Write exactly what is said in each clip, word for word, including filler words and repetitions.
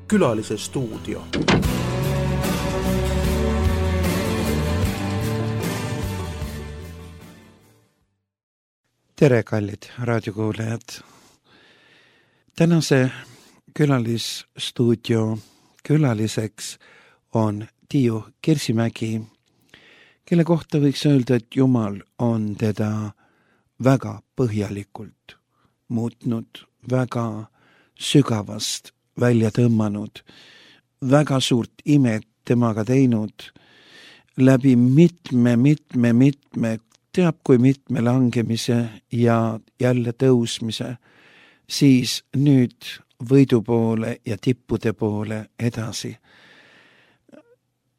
Külalise stuudio. Tere, kallid raadiokuulajad! Tänase külalisstuudio külaliseks on Tiiu Kirsimägi, kelle kohta võiks öelda, et Jumal on teda väga põhjalikult muutnud, väga sügavast välja tõmmanud, väga suurt imet temaga teinud, läbi mitme, mitme, mitme, teab kui mitme langemise ja jälle tõusmise, siis nüüd võidu poole ja tippude poole edasi.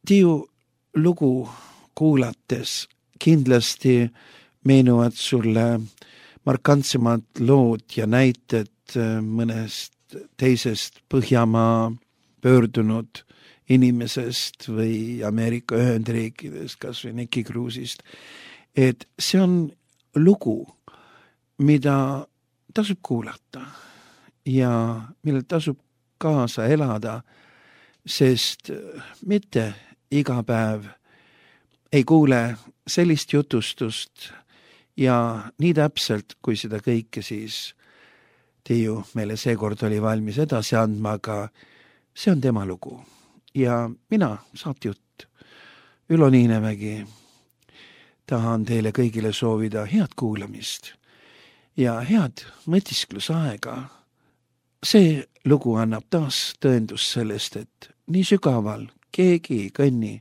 Tiiu lugu kuulates kindlasti meenuvad sulle markantsemad lood ja näited mõnest teisest Põhjamaa pöördunud inimesest või Ameerika Ühendriikidest, kas või Nicky Cruise'ist. Et see on lugu, mida tasub kuulata ja millel tasub kaasa elada, sest mitte iga päev ei kuule sellist jutustust ja nii täpselt, kui seda kõike siis Tiiu meile seekord oli valmis edasi andma, aga see on tema lugu. Ja mina, saatejutt Ülo Niinemägi, tahan teile kõigile soovida head kuulamist ja head mõtisklusaega. See lugu annab taas tõendust sellest, et nii sügaval keegi ei kõnni,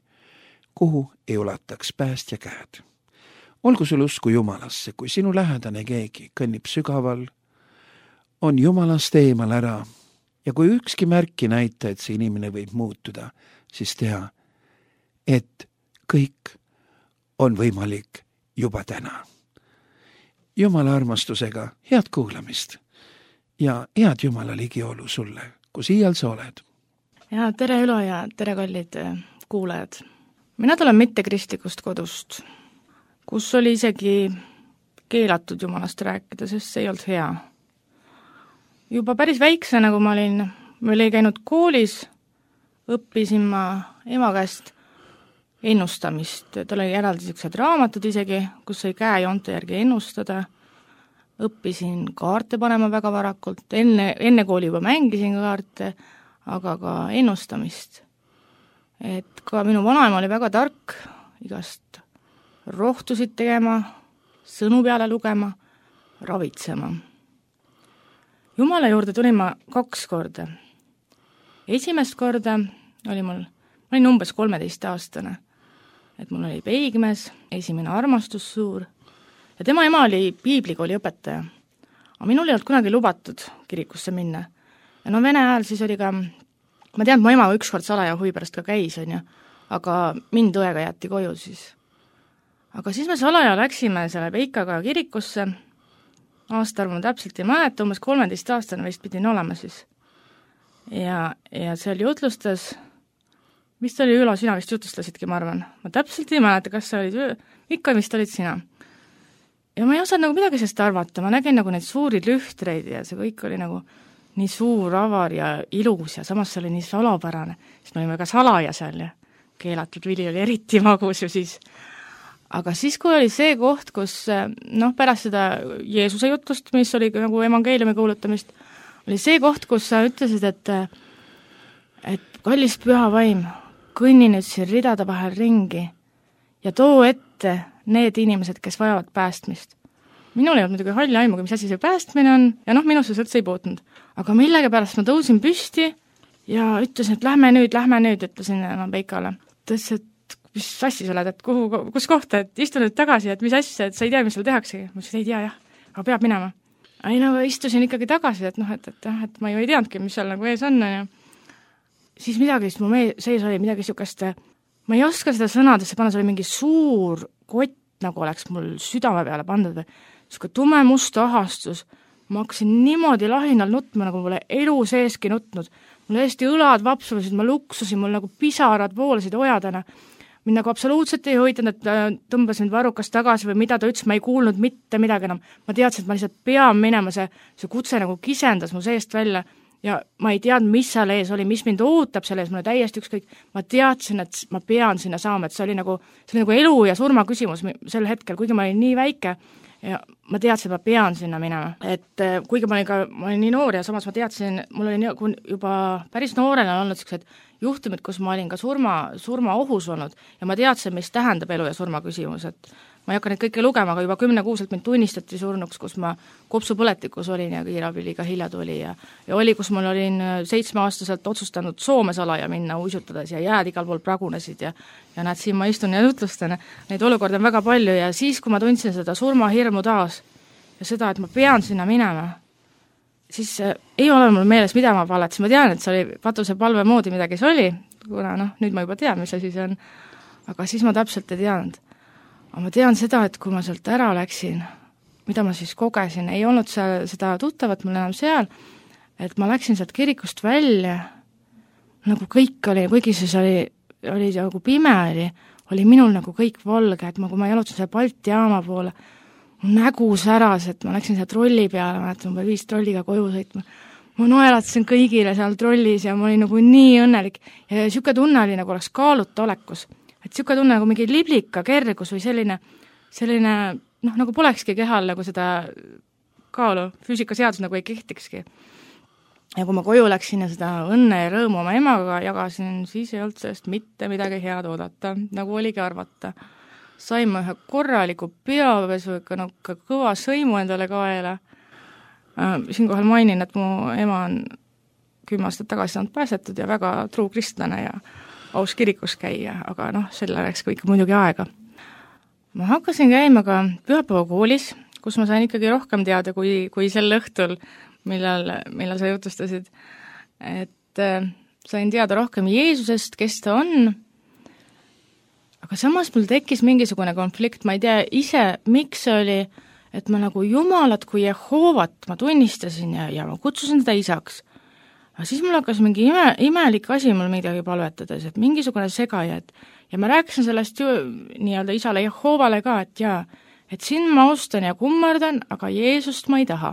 kuhu ei ulataks päästja käed. Olgu sul usku Jumalasse, kui sinu lähedane keegi kõnnib sügaval, on Jumalast eemal ära ja kui ükski märki näita, et see inimene võib muutuda, siis tea, et kõik on võimalik juba täna. Jumala armastusega head kuulamist ja head Jumala ligiolu sulle, kus iial sa oled. Ja tere Ülo ja tere kallid kuulajad. Mina tulen mittekristlikust kodust, kus oli isegi keelatud Jumalast rääkida, sest see ei olnud hea. Juba päris väiksena, kui ma olin, ma olin käinud koolis, õppisin ma ema käest ennustamist. Tal oli eraldi sellised raamatud isegi, kus sai käejoonte järgi ennustada. Õppisin kaarte panema väga varakult. Enne, enne kooli juba mängisin kaarte, aga ka ennustamist. Et ka minu vanaema oli väga tark, igast rohtusid tegema, sõnu peale lugema, ravitsema. Jumala juurde tulin ma kaks korda. Esimest korda oli mul, ma olin umbes kolmeteist aastane, et mul oli peigmees, esimene armastus suur ja tema ema oli piiblikooli õpetaja. Aga minul ei olnud kunagi lubatud kirikusse minna. Ja no vene ajal siis oli ka, ma tean, et mu ema ükskord salaja huvi pärast ka käis, on ju, aga mind õega jätti koju siis. Aga siis me salaja läksime selle Peikaga kirikusse, aastaarvu ma täpselt ei mäleta, umbes kolmeteist aastane vist pidin olema siis. Ja, ja seal jutlustas, mis oli Ülo, sina vist jutlustasidki, ma arvan. Ma täpselt ei mäleta, kas sa olid, ikka vist olid sina. Ja ma ei osanud nagu midagi sellest arvata, ma nägin nagu neid suuri lühtreid ja see kõik oli nagu nii suur, avar ja ilus ja samas see oli nii salapärane. Siis me olime ka salaja seal ja keelatud vili oli eriti magus ju siis. Aga siis, kui oli see koht, kus noh, pärast seda Jeesuse jutust, mis oli nagu evangeeliumi kuulutamist, oli see koht, kus sa ütlesid, et, et kallis püha vaim, kõnni nüüd siin ridade vahel ringi ja too ette need inimesed, kes vajavad päästmist. Minul ei olnud muidugi halli aimuga, mis asi see päästmine on, ja noh, minusse üldse ei puutunud. Aga millegi pärast ma tõusin püsti ja ütlesin, et lähme nüüd, lähme nüüd, ütlesin enam Peikale. Ütlesin, et mis assi sa oled, et kuhu, kus kohta, et istu nüüd tagasi, et mis asja, et sa ei tea, mis seal tehaksegi. Ma ütlesin, ei tea, jah, aga peab minema. Ei, no istusin ikkagi tagasi, et noh, et, et, et ma ju ei teadnudki, mis seal nagu ees on. Ja siis midagi, siis mu sees oli midagi sihukest, ma ei oska seda sõnadesse panna, see oli mingi suur kott, nagu oleks mul südame peale pandud või sihuke tume must ahastus. Ma hakkasin niimoodi lahinal nutma, nagu mulle elu seeski nutnud. Mul hästi õlad vapsusid, ma luksusin, mul nagu pisarad voolasid ojadena. mind nagu absoluutselt ei huvitanud, et ta tõmbas mind varrukas tagasi või mida ta ütles, ma ei kuulnud mitte midagi enam. Ma teadsin, et ma lihtsalt pean minema, see, see kutse nagu kisendas mu seest välja ja ma ei teadnud, mis seal ees oli, mis mind ootab selle ees, mulle täiesti ükskõik. Ma teadsin, et ma pean sinna saama, et see oli nagu, see oli nagu elu ja surma küsimus sel hetkel, kuigi ma olin nii väike ja ma teadsin, et ma pean sinna minema. Et kuigi ma olin ka, ma olin nii noor ja samas ma teadsin, mul oli juba päris noorena olnud sellised juhtumid, kus ma olin ka surma, surma ohus olnud ja ma teadsin, mis tähendab elu ja surma küsimus, et ma ei hakka neid kõike lugema, aga juba kümnekuuselt mind tunnistati surnuks, kus ma kopsupõletikus olin ja kiirabi liiga hilja tuli ja, ja oli, kus mul olin seitsmeaastaselt otsustanud Soome salaja minna uisutades ja jääd igal pool pragunesid ja, ja näed, siin ma istun ja jutlustan, neid olukorda on väga palju ja siis, kui ma tundsin seda surmahirmu taas ja seda, et ma pean sinna minema, siis ei ole mul meeles, mida ma paletasin, ma tean, et see oli patusepalve moodi midagi see oli, kuna noh, nüüd ma juba tean, mis asi see on, aga siis ma täpselt ei teadnud. Aga ma tean seda, et kui ma sealt ära läksin, mida ma siis kogesin, ei olnud seal seda tuttavat mul enam seal, et ma läksin sealt kirikust välja, nagu kõik oli, kuigi siis oli, oli nagu pime oli, oli minul nagu kõik valge, et ma, kui ma jalutasin seal Balti jaama poole, nägu säras, et ma läksin seal trolli peale, ma mäletan, ma viis trolliga koju sõitma. Ma naeratasin kõigile seal trollis ja ma olin nagu nii õnnelik. Ja siuke tunne oli, nagu oleks kaaluta olekus. Et siuke tunne nagu mingi liblika kergus või selline, selline noh, nagu polekski kehal nagu seda kaalu, füüsikaseadus nagu ei kehtikski. Ja kui ma koju läksin ja seda õnne ja rõõmu oma emaga jagasin, siis ei olnud sellest mitte midagi head oodata, nagu oligi arvata. Saime ühe korraliku peapesu, ikka no, kõva sõimu endale kaela. Siinkohal mainin, et mu ema on kümme aastat tagasi saanud pääsetud ja väga truu kristlane ja aus kirikus käia, aga noh, selle läks kõik muidugi aega. Ma hakkasin käima ka pühapäeva koolis, kus ma sain ikkagi rohkem teada kui, kui sel õhtul, millal, millal sa jutustasid. Et äh, sain teada rohkem Jeesusest, kes ta on. Aga samas mul tekkis mingisugune konflikt, ma ei tea ise, miks see oli, et ma nagu Jumalat kui Jehovat ma tunnistasin ja, ja ma kutsusin teda isaks. Aga siis mul hakkas mingi ime, imelik asi mul midagi palvetades, et mingisugune segaja, et ja ma rääkisin sellest ju nii-öelda isale Jehovale ka, et jaa, et siin ma austan ja kummardan, aga Jeesust ma ei taha.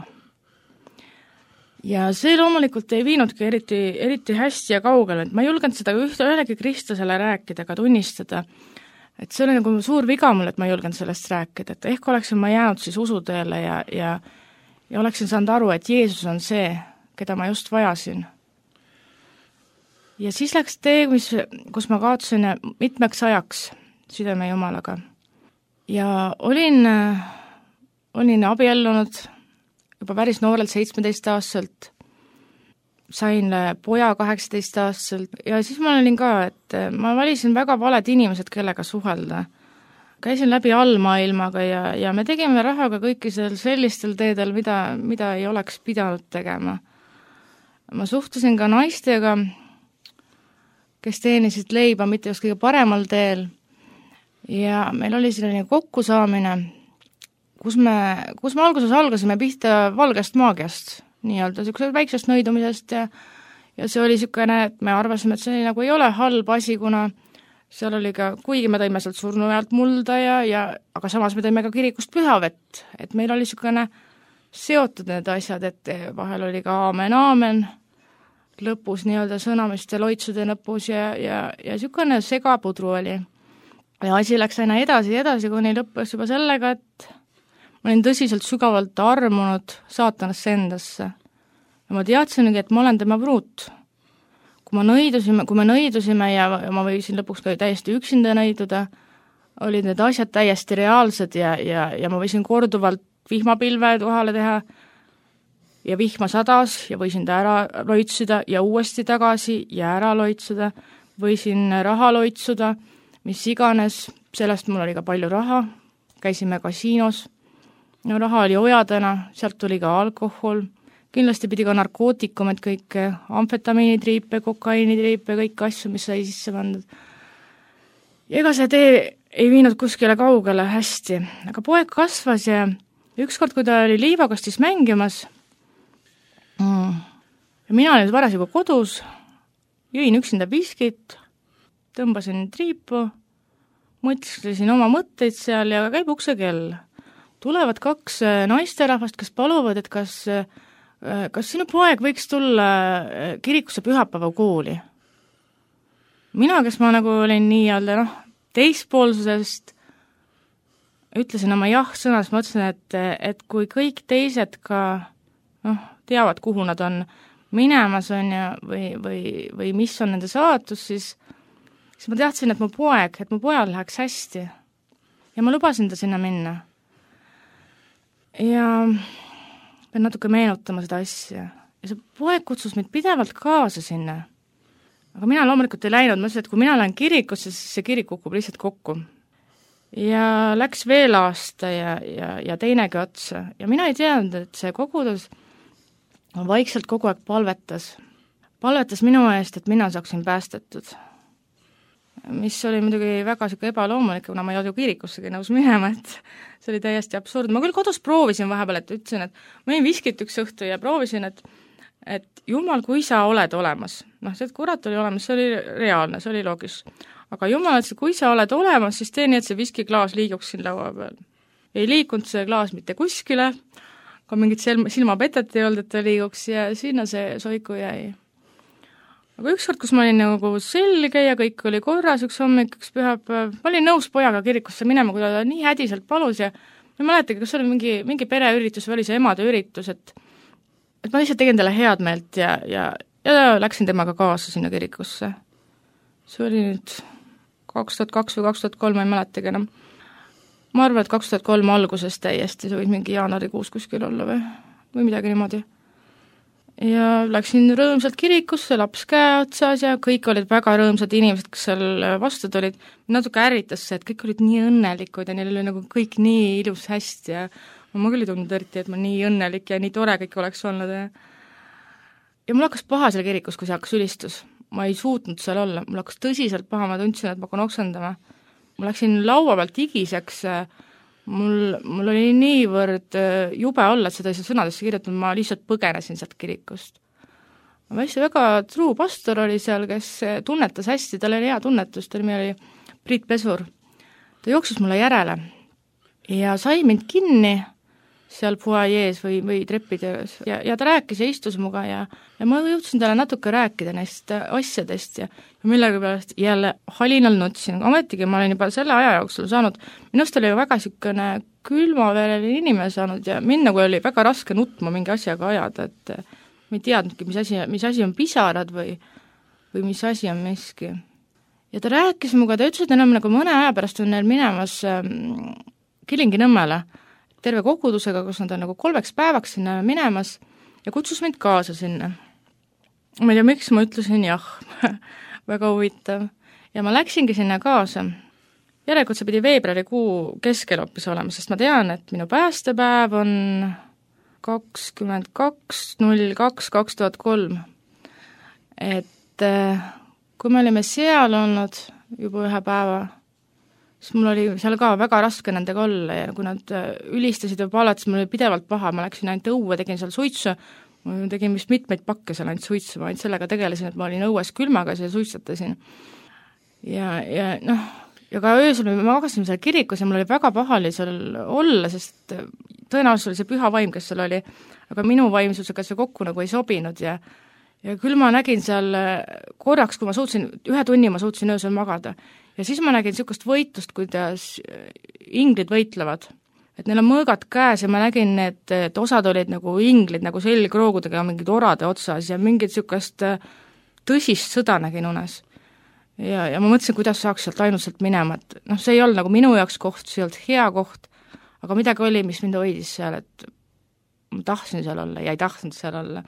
Ja see loomulikult ei viinudki eriti, eriti hästi ja kaugele, et ma ei julgenud seda ühte ühelegi kristlasele rääkida, ka tunnistada. Et see oli nagu suur viga mul, et ma ei julgenud sellest rääkida, et ehk oleksin ma jäänud siis usuteele ja, ja, ja oleksin saanud aru, et Jeesus on see, keda ma just vajasin. Ja siis läks tee, mis, kus ma kaotasin mitmeks ajaks südame Jumalaga. Ja olin, olin abiellunud juba päris noorelt seitsmeteist-aastaselt, sain poja kaheksateist-aastaselt ja siis ma olin ka, et ma valisin väga valed inimesed, kellega suhelda. Käisin läbi allmaailmaga ja, ja me tegime rahaga kõiki sellistel teedel, mida, mida ei oleks pidanud tegema. Ma suhtusin ka naistega, kes teenisid leiba mitte just kõige paremal teel ja meil oli selline kokkusaamine, kus me, kus me alguses algasime pihta valgest maagiast, nii-öelda sellisest väiksest nõidumisest ja, ja see oli niisugune, et me arvasime, et see nagu ei ole halb asi, kuna seal oli ka, kuigi me tõime sealt surnu ajalt mulda ja, ja aga samas me tõime ka kirikust pühavett, et meil oli niisugune seotud need asjad, et vahel oli ka aamen, aamen, lõpus nii-öelda sõnamiste loitsude lõpus ja, ja, ja niisugune segapudru oli. Ja asi läks aina edasi ja edasi, kuni lõppes juba sellega, et ma olin tõsiselt sügavalt armunud saatanasse endasse. Ja ma teadsingi, et ma olen tema pruut. Kui, ma nõidusime, kui me nõidusime ja ma võisin lõpuks ka täiesti üksinda nõiduda, olid need asjad täiesti reaalsed ja, ja, ja ma võisin korduvalt vihmapilve tuhale teha ja vihma sadas ja võisin ta ära loitsuda ja uuesti tagasi ja ära loitsuda, võisin raha loitsuda, mis iganes, sellest mul oli ka palju raha, käisime kasiinos, no raha oli ojadena, sealt tuli ka alkohol, kindlasti pidi ka narkootikumid kõik, amfetamiinitriipe, kokaiinitriipe, kõik asju, mis sai sisse pandud. Ja ega see tee ei viinud kuskile kaugele hästi, aga poeg kasvas ja ükskord, kui ta oli liivakastis mängimas, ja mina olin parasjagu kodus, jõin üksinda viskit, tõmbasin triipu mõtlesin oma mõtteid seal ja käib uksekell. Tulevad kaks naisterahvast, kes paluvad, et kas, kas sinu poeg võiks tulla kirikusse pühapäeva kooli. Mina, kes ma nagu olin nii-öelda noh, teispoolsusest, ütlesin oma jah-sõnas, ma ütlesin, et, et kui kõik teised ka noh, teavad, kuhu nad on minemas on ja, või, või, või mis on nende saatus, siis, siis ma teadsin, et mu poeg, et mu pojal läheks hästi. Ja ma lubasin ta sinna minna. Ja pean natuke meenutama seda asja. Ja see poeg kutsus mind pidevalt kaasa sinna. Aga mina loomulikult ei läinud, ma ütlesin, et kui mina lähen kirikusse, siis see kirik kukub lihtsalt kokku. Ja läks veel aasta ja, ja, ja teinegi otsa. Ja mina ei teadnud, et see kogudus vaikselt kogu aeg palvetas. Palvetas minu eest, et mina saaksin päästetud. Mis oli muidugi väga siuke ebaloomulik, kuna ma ei olnud ju kirikussegi nõus minema, et see oli täiesti absurd. Ma küll kodus proovisin vahepeal, et ütlesin, et ma olin viskit üks õhtu ja proovisin, et et Jumal, kui sa oled olemas, noh, see, et kurat oli olemas, see oli reaalne, see oli loogis. Aga Jumal, et kui sa oled olemas, siis tee nii, et see viskiklaas liiguks siin laua peal. Ei liikunud see klaas mitte kuskile, ka mingit silmapetet ei olnud, et ta liiguks ja sinna see soiku jäi. Aga ükskord, kus ma olin nagu selge ja kõik oli korras, üks hommik, üks pühapäev, ma olin nõus pojaga kirikusse minema, kui ta nii hädiselt palus ja ma ei mäletagi, kas oli mingi, mingi pereüritus või oli see emade üritus, et et ma lihtsalt tegin talle head meelt ja, ja, ja läksin temaga kaasa sinna kirikusse. See oli nüüd kaks tuhat kaks või kaks tuhat kolm, ma ei mäletagi enam. Ma arvan, et kaks tuhat kolm alguses täiesti, see võis mingi jaanuarikuus kuskil olla või, või midagi niimoodi. Ja läksin rõõmsalt kirikusse, laps käe otsas ja kõik olid väga rõõmsad inimesed, kes seal vastu tulid. Natuke ärritas see, et kõik olid nii õnnelikud ja neil oli nagu kõik nii ilus hästi ja ma küll ei tundnud eriti, et ma nii õnnelik ja nii tore kõik oleks olnud. Ja, ja mul hakkas paha seal kirikus, kui see hakkas ülistus. Ma ei suutnud seal olla, mul hakkas tõsiselt paha, ma tundsin, et ma hakkan oksendama. Ma läksin laua pealt igiseks, mul, mul oli niivõrd jube olla, et seda ei saa sõnadesse kirjutanud, ma lihtsalt põgenesin sealt kirikust. Ma hästi väga truu pastor oli seal, kes tunnetas hästi, tal oli hea tunnetus, ta nimi oli Priit Pesur. Ta jooksis mulle järele ja sai mind kinni seal fuajees või, või treppides ja, ja ta rääkis ja istus muga ja, ja ma jõudsin talle natuke rääkida neist asjadest ja, ja millega pärast jälle halinal nutsin, ametigi ma olin juba selle aja jooksul saanud, minust oli väga siukene külmavereline inimene saanud ja mind nagu oli väga raske nutma mingi asjaga ajada, et ma ei teadnudki, mis asi, mis asi on pisarad või, või mis asi on miski. Ja ta rääkis muga, ta ütles, et enam nagu mõne aja pärast on neil minemas ähm, Kilingi-Nõmmele terve kogudusega, kus nad on nagu kolmeks päevaks sinna minemas ja kutsus mind kaasa sinna. Ma ei tea, miks ma ütlesin jah, väga huvitav. Ja ma läksingi sinna kaasa. Järelikult see pidi veebruarikuu keskel hoopis olema, sest ma tean, et minu päästepäev on kakskümmend kaks null kaks kaks tuhat kolm. Et kui me olime seal olnud juba ühe päeva, siis mul oli seal ka väga raske nendega olla ja kui nad ülistasid ja palad, siis mul oli pidevalt paha, ma läksin ainult õue, tegin seal suitsu, ma tegin vist mitmeid pakke seal ainult suitsu, ma ainult sellega tegelesin, et ma olin õues külmagas ja suitsatasin. Ja, ja noh, ja ka öösel me magasime seal kirikus ja mul oli väga pahali seal olla, sest tõenäoliselt oli see püha vaim, kes seal oli, aga minu vaimsusega see kokku nagu ei sobinud ja ja küll ma nägin seal korraks, kui ma suutsin, ühe tunni ma suutsin öösel magada ja siis ma nägin niisugust võitlust, kuidas inglid võitlevad. Et neil on mõõgad käes ja ma nägin, et, et osad olid nagu inglid nagu selgroogudega mingid orade otsas ja mingid niisugust tõsist sõda nägin unes. Ja, ja ma mõtlesin, kuidas saaks sealt ainult sealt minema, et noh, see ei olnud nagu minu jaoks koht, see ei olnud hea koht, aga midagi oli, mis mind hoidis seal, et ma tahtsin seal olla ja ei tahtnud seal olla.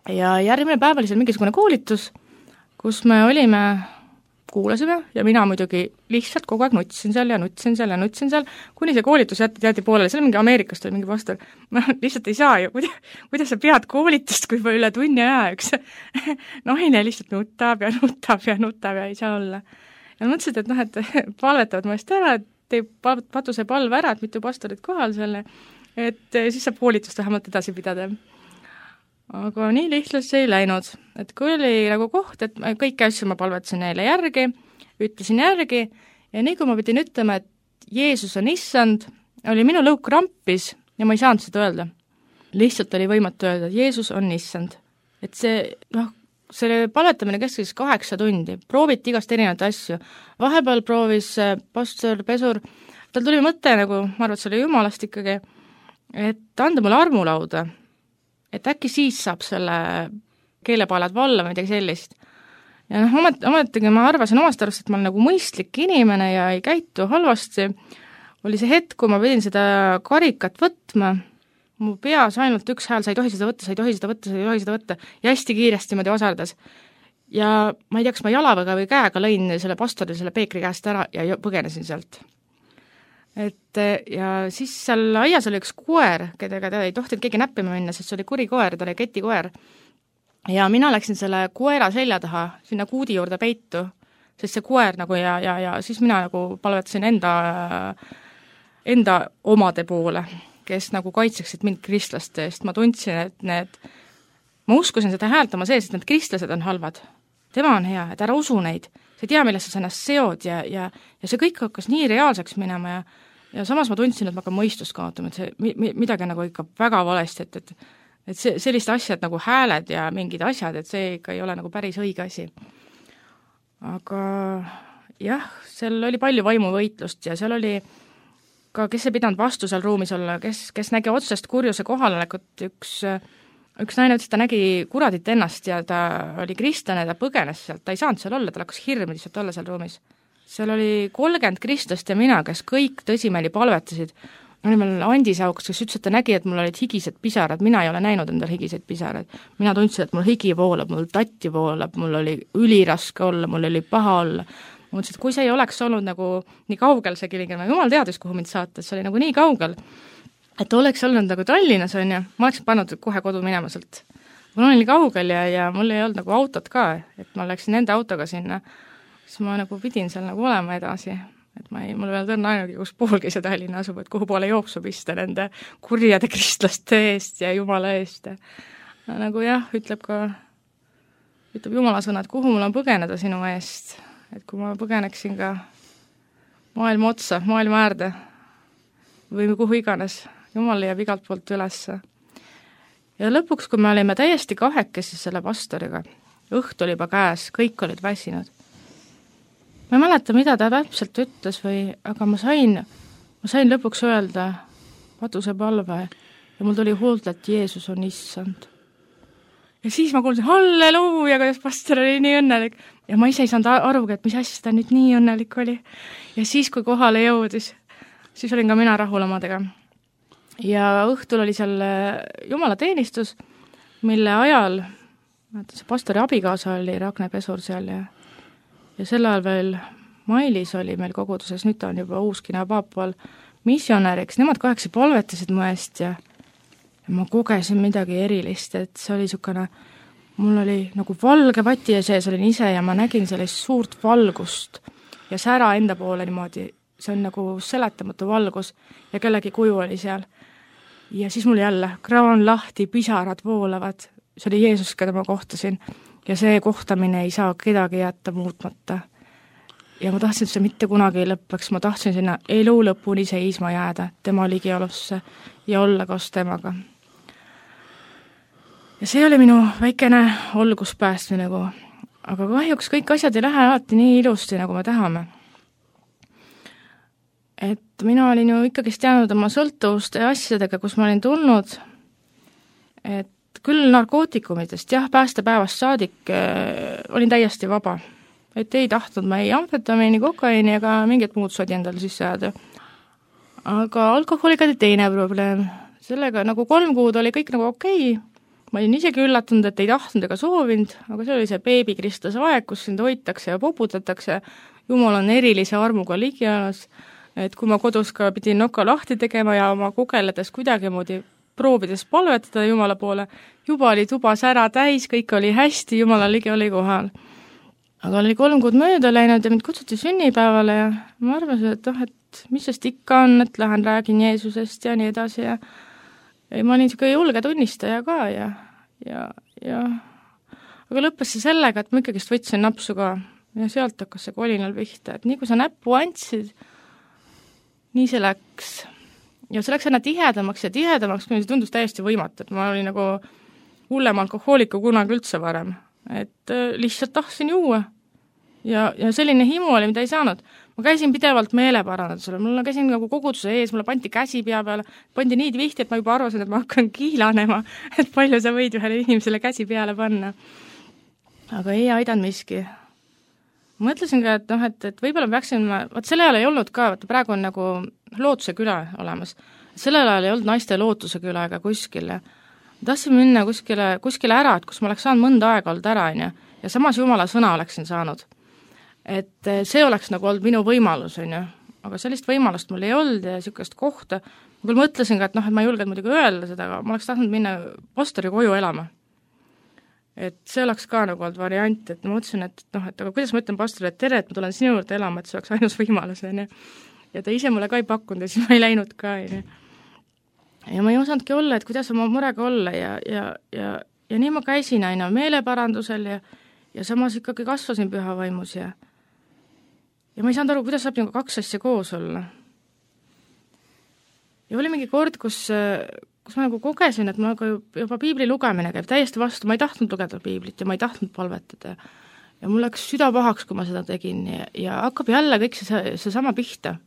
Ja järgmine päev oli seal mingisugune koolitus, kus me olime, kuulasime ja mina muidugi lihtsalt kogu aeg nutsin seal ja nutsin seal ja nutsin seal, kuni see koolitus jätti teati poolele, seal mingi Ameerikast oli mingi pastor, ma lihtsalt ei saa ju, kuidas, kuidas sa pead koolitust, kui üle tunni aja üks naine lihtsalt nutab ja nutab ja nutab ja ei saa olla. Ja mõtlesid, et noh, et palvetavad mu eest ära, et teeb patuse palve ära, et mitu pastorit kohal selle, et siis saab koolitust vähemalt edasi pidada. Aga nii lihtsalt see ei läinud, et kui oli nagu koht, et kõiki asju ma palvetasin neile järgi, ütlesin järgi ja nii kui ma pidin ütlema, et Jeesus on issand, oli minu lõuk rampis ja ma ei saanud seda öelda. Lihtsalt oli võimatu öelda, et Jeesus on issand. Et see, noh, see palvetamine kestis kaheksa tundi, prooviti igast erinevaid asju. Vahepeal proovis pastor Pesur, tal tuli mõte nagu, ma arvan, et see oli jumalast ikkagi, et anda mulle armulauda, et äkki siis saab selle keelepaalad valla või midagi sellist. Ja noh, omet, ometagi ma arvasin omast arvast, et ma olen nagu mõistlik inimene ja ei käitu halvasti. Oli see hetk, kui ma pidin seda karikat võtma, mu peas ainult üks hääl, sa ei tohi seda võtta, sa ei tohi seda võtta, sa ei tohi seda võtta, ja hästi kiiresti mõdi osaldas. Ja ma ei tea, kas ma jalaväga või käega lõin selle pastori selle peekri käest ära ja põgenesin sealt. Et ja siis seal aias oli üks koer, kedega ta ei tohtinud keegi näppima minna, sest see oli kuri koer, ta oli ketikoer. Ja mina läksin selle koera selja taha, sinna kuudi juurde peitu, sest see koer nagu ja, ja, ja siis mina nagu palvetasin enda, enda omade poole, kes nagu kaitseksid mind kristlaste eest. Ma tundsin, et need, ma uskusin seda häältama sees, et need kristlased on halvad. Tema on hea, et ära usu neid. See tea, millest sa ennast seod ja, ja, ja see kõik hakkas nii reaalseks minema ja, ja samas ma tundsin, et ma hakkan mõistust kaotama, et see mi, midagi nagu ikka väga valesti, et, et, et see, sellist asjad nagu hääled ja mingid asjad, et see ikka ei ole nagu päris õige asi. Aga jah, seal oli palju vaimuvõitlust ja seal oli ka, kes ei pidanud vastu seal ruumis olla, kes, kes nägi otsest kurjuse kohalolekut, üks üks naine ütles, ta nägi kuradit ennast ja ta oli kristlane, ta põgenes sealt, ta ei saanud seal olla, ta hakkas hirm lihtsalt olla seal ruumis. Seal oli kolmkümmend kristlast ja mina, kes kõik tõsimeeli palvetasid. Oli meil Andi Sauks, kes ütles, et ta nägi, et mul olid higised pisarad, mina ei ole näinud endal higiseid pisarad. Mina tundsin, et mul higi voolab, mul tatti voolab, mul oli üliraske olla, mul oli paha olla. Ma mõtlesin, et kui see ei oleks olnud nagu nii kaugel see Kilingi, jumal teadis, kuhu mind saata, see oli nagu nii kaugel. Et oleks olnud nagu Tallinnas, on ju, ma oleks pannud kohe kodu minema sealt. Mul oli kaugel ja, ja mul ei olnud nagu autot ka, et ma läksin nende autoga sinna, siis ma nagu pidin seal nagu olema edasi, et ma ei, mul veel tõrna ainugi, kus poolgi see Tallinna asub, et kuhu poole jooksu pista nende kurjade kristlaste eest ja Jumala eest. Ja nagu jah, ütleb ka, ütleb Jumala sõna, et kuhu mul on põgeneda sinu eest, et kui ma põgeneksin ka maailma otsa, maailma äärde või kuhu iganes, Jumal leiab igalt poolt ülesse. Ja lõpuks, kui me olime täiesti kahekesi selle pastoriga, õht oli juba käes, kõik olid väsinud. Ma ei mäleta, mida ta täpselt ütles või, aga ma sain, ma sain lõpuks öelda patuse palve ja mul tuli huult, et Jeesus on issand. Ja siis ma kuulsin, halleluuja, kuidas pastor oli nii õnnelik. Ja ma ise ei saanud arugi, et mis asja ta nüüd nii õnnelik oli. Ja siis, kui kohale jõudis, siis olin ka mina rahul omadega. Ja õhtul oli seal Jumala teenistus, mille ajal, see pastori abikaasa oli Ragne Pesur seal ja, ja sel ajal veel Mailis oli meil koguduses, nüüd ta on juba Uuskina paapal missionäriks, nemad kaheksa palvetasid mu eest ja, ja ma kogesin midagi erilist, et see oli niisugune, mul oli nagu valge vati ja sees olin ise ja ma nägin sellist suurt valgust ja sära enda poole niimoodi, see on nagu seletamatu valgus ja kellegi kuju oli seal. Ja siis mul jälle kraan lahti, pisarad voolavad, see oli Jeesus, keda ma kohtasin ja see kohtamine ei saa kedagi jätta muutmata. Ja ma tahtsin, et see mitte kunagi ei lõppeks, ma tahtsin sinna elu lõpuni seisma jääda, tema ligiolusse ja olla koos temaga. Ja see oli minu väikene olguspäästmine nagu, aga kahjuks kõik asjad ei lähe alati nii ilusti, nagu me tahame. Et mina olin ju ikkagi teanud oma sõltuvuste asjadega, kus ma olin tulnud, et küll narkootikumidest, jah, päästepäevast saadik äh, olin täiesti vaba. Et ei tahtnud ma ei amfetamiini, kokaiini ega mingit muud sodi endale sisse jääda. Aga alkoholiga oli teine probleem. Sellega nagu kolm kuud oli kõik nagu okei. Ma olin isegi üllatunud, et ei tahtnud ega soovinud, aga see oli see beebikristlase aeg, kus sind hoitakse ja poputatakse. Jumal on erilise armuga ligialas. Et kui ma kodus ka pidin noka lahti tegema ja oma kogeledes kuidagi moodi proovides palvetada Jumala poole, juba oli tuba sära täis, kõik oli hästi, Jumala ligi oli kohal. Aga oli kolm kuud mööda läinud ja mind kutsuti sünnipäevale ja ma arvasin, et oh, et mis sest ikka on, et lähen räägin Jeesusest ja nii edasi ja, ja ma olin niisugune julge tunnistaja ka ja, ja, ja aga lõppes see sellega, et ma ikkagist võtsin napsu ka ja sealt hakkas see kolinal pihta, et nii kui sa näppu andsid, nii see läks. Ja see läks aina tihedamaks ja tihedamaks, kui see tundus täiesti võimatu, et ma olin nagu hullem alkohooliku kunagi üldse varem. Et lihtsalt tahtsin juua. Ja, ja selline himu oli, mida ei saanud. Ma käisin pidevalt meeleparandusele, mul käisin nagu koguduse ees, mulle pandi käsi pea peale, pandi nii vihti, et ma juba arvasin, et ma hakkan kiilanema, et palju sa võid ühele inimesele käsi peale panna. Aga ei aidanud miski. Mõtlesin ka, et, noh, et, et võib-olla peaksin, vaat selle ajal ei olnud ka, vaata praegu on nagu lootuse küla olemas. Sellel ajal ei olnud naiste lootuse küla ega kuskil. Tahtsin minna kuskile, kuskile ära, et kus ma oleks saanud mõnda aega olnud ära, ja, ja samas jumala sõna oleksin saanud. Et see oleks nagu olnud minu võimalus, on ju. Aga sellist võimalust mul ei olnud ja niisugust kohta. Ma küll mõtlesin ka, et, noh, et ma ei julgenud muidugi öelda seda, aga ma oleks tahtnud minna pastori koju elama. Et see oleks ka nagu olnud variant, et ma mõtlesin, et, noh, et aga kuidas ma ütlen pastorile, et tere, et ma tulen sinu juurde elama, et see oleks ainus võimalus, on ju. Ja ta ise mulle ka ei pakkunud ja siis ma ei läinud ka, on ju. Ja ma ei osanudki olla, et kuidas oma murega olla ja, ja, ja, ja nii ma käisin aina meeleparandusel ja, ja samas ikkagi kasvasin püha vaimus ja ja ma ei saanud aru, kuidas saab nagu kaks asja koos olla. Ja oli mingi kord, kus, kus ma nagu kogesin, et ma nagu juba piibli lugemine käib täiesti vastu, ma ei tahtnud lugeda piiblit ja ma ei tahtnud palvetada. Ja mul läks süda pahaks, kui ma seda tegin ja, ja hakkab jälle kõik see, see sama pihta.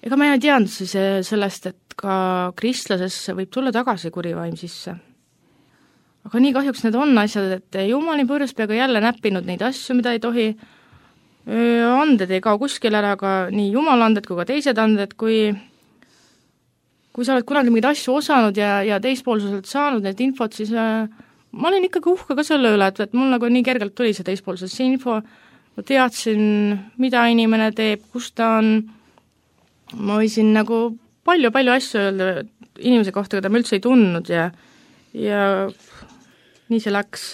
Ega ma ei teadnud siis sellest, et ka kristlasesse võib tulla tagasi kurivaim sisse. Aga nii kahjuks need on asjad, et jumal nii purjus peaga jälle näppinud neid asju, mida ei tohi. Anded ei kao kuskil ära, ka nii jumala anded kui ka teised anded, kui, kui sa oled kunagi mingeid asju osanud ja, ja teispoolsuselt saanud need infot, siis äh, ma olin ikkagi uhke ka selle üle, et, et mul nagu nii kergelt tuli see teispoolsuses info, ma teadsin, mida inimene teeb, kus ta on, ma võisin nagu palju-palju asju öelda inimese kohta, keda ma üldse ei tundnud ja, ja nii see läks.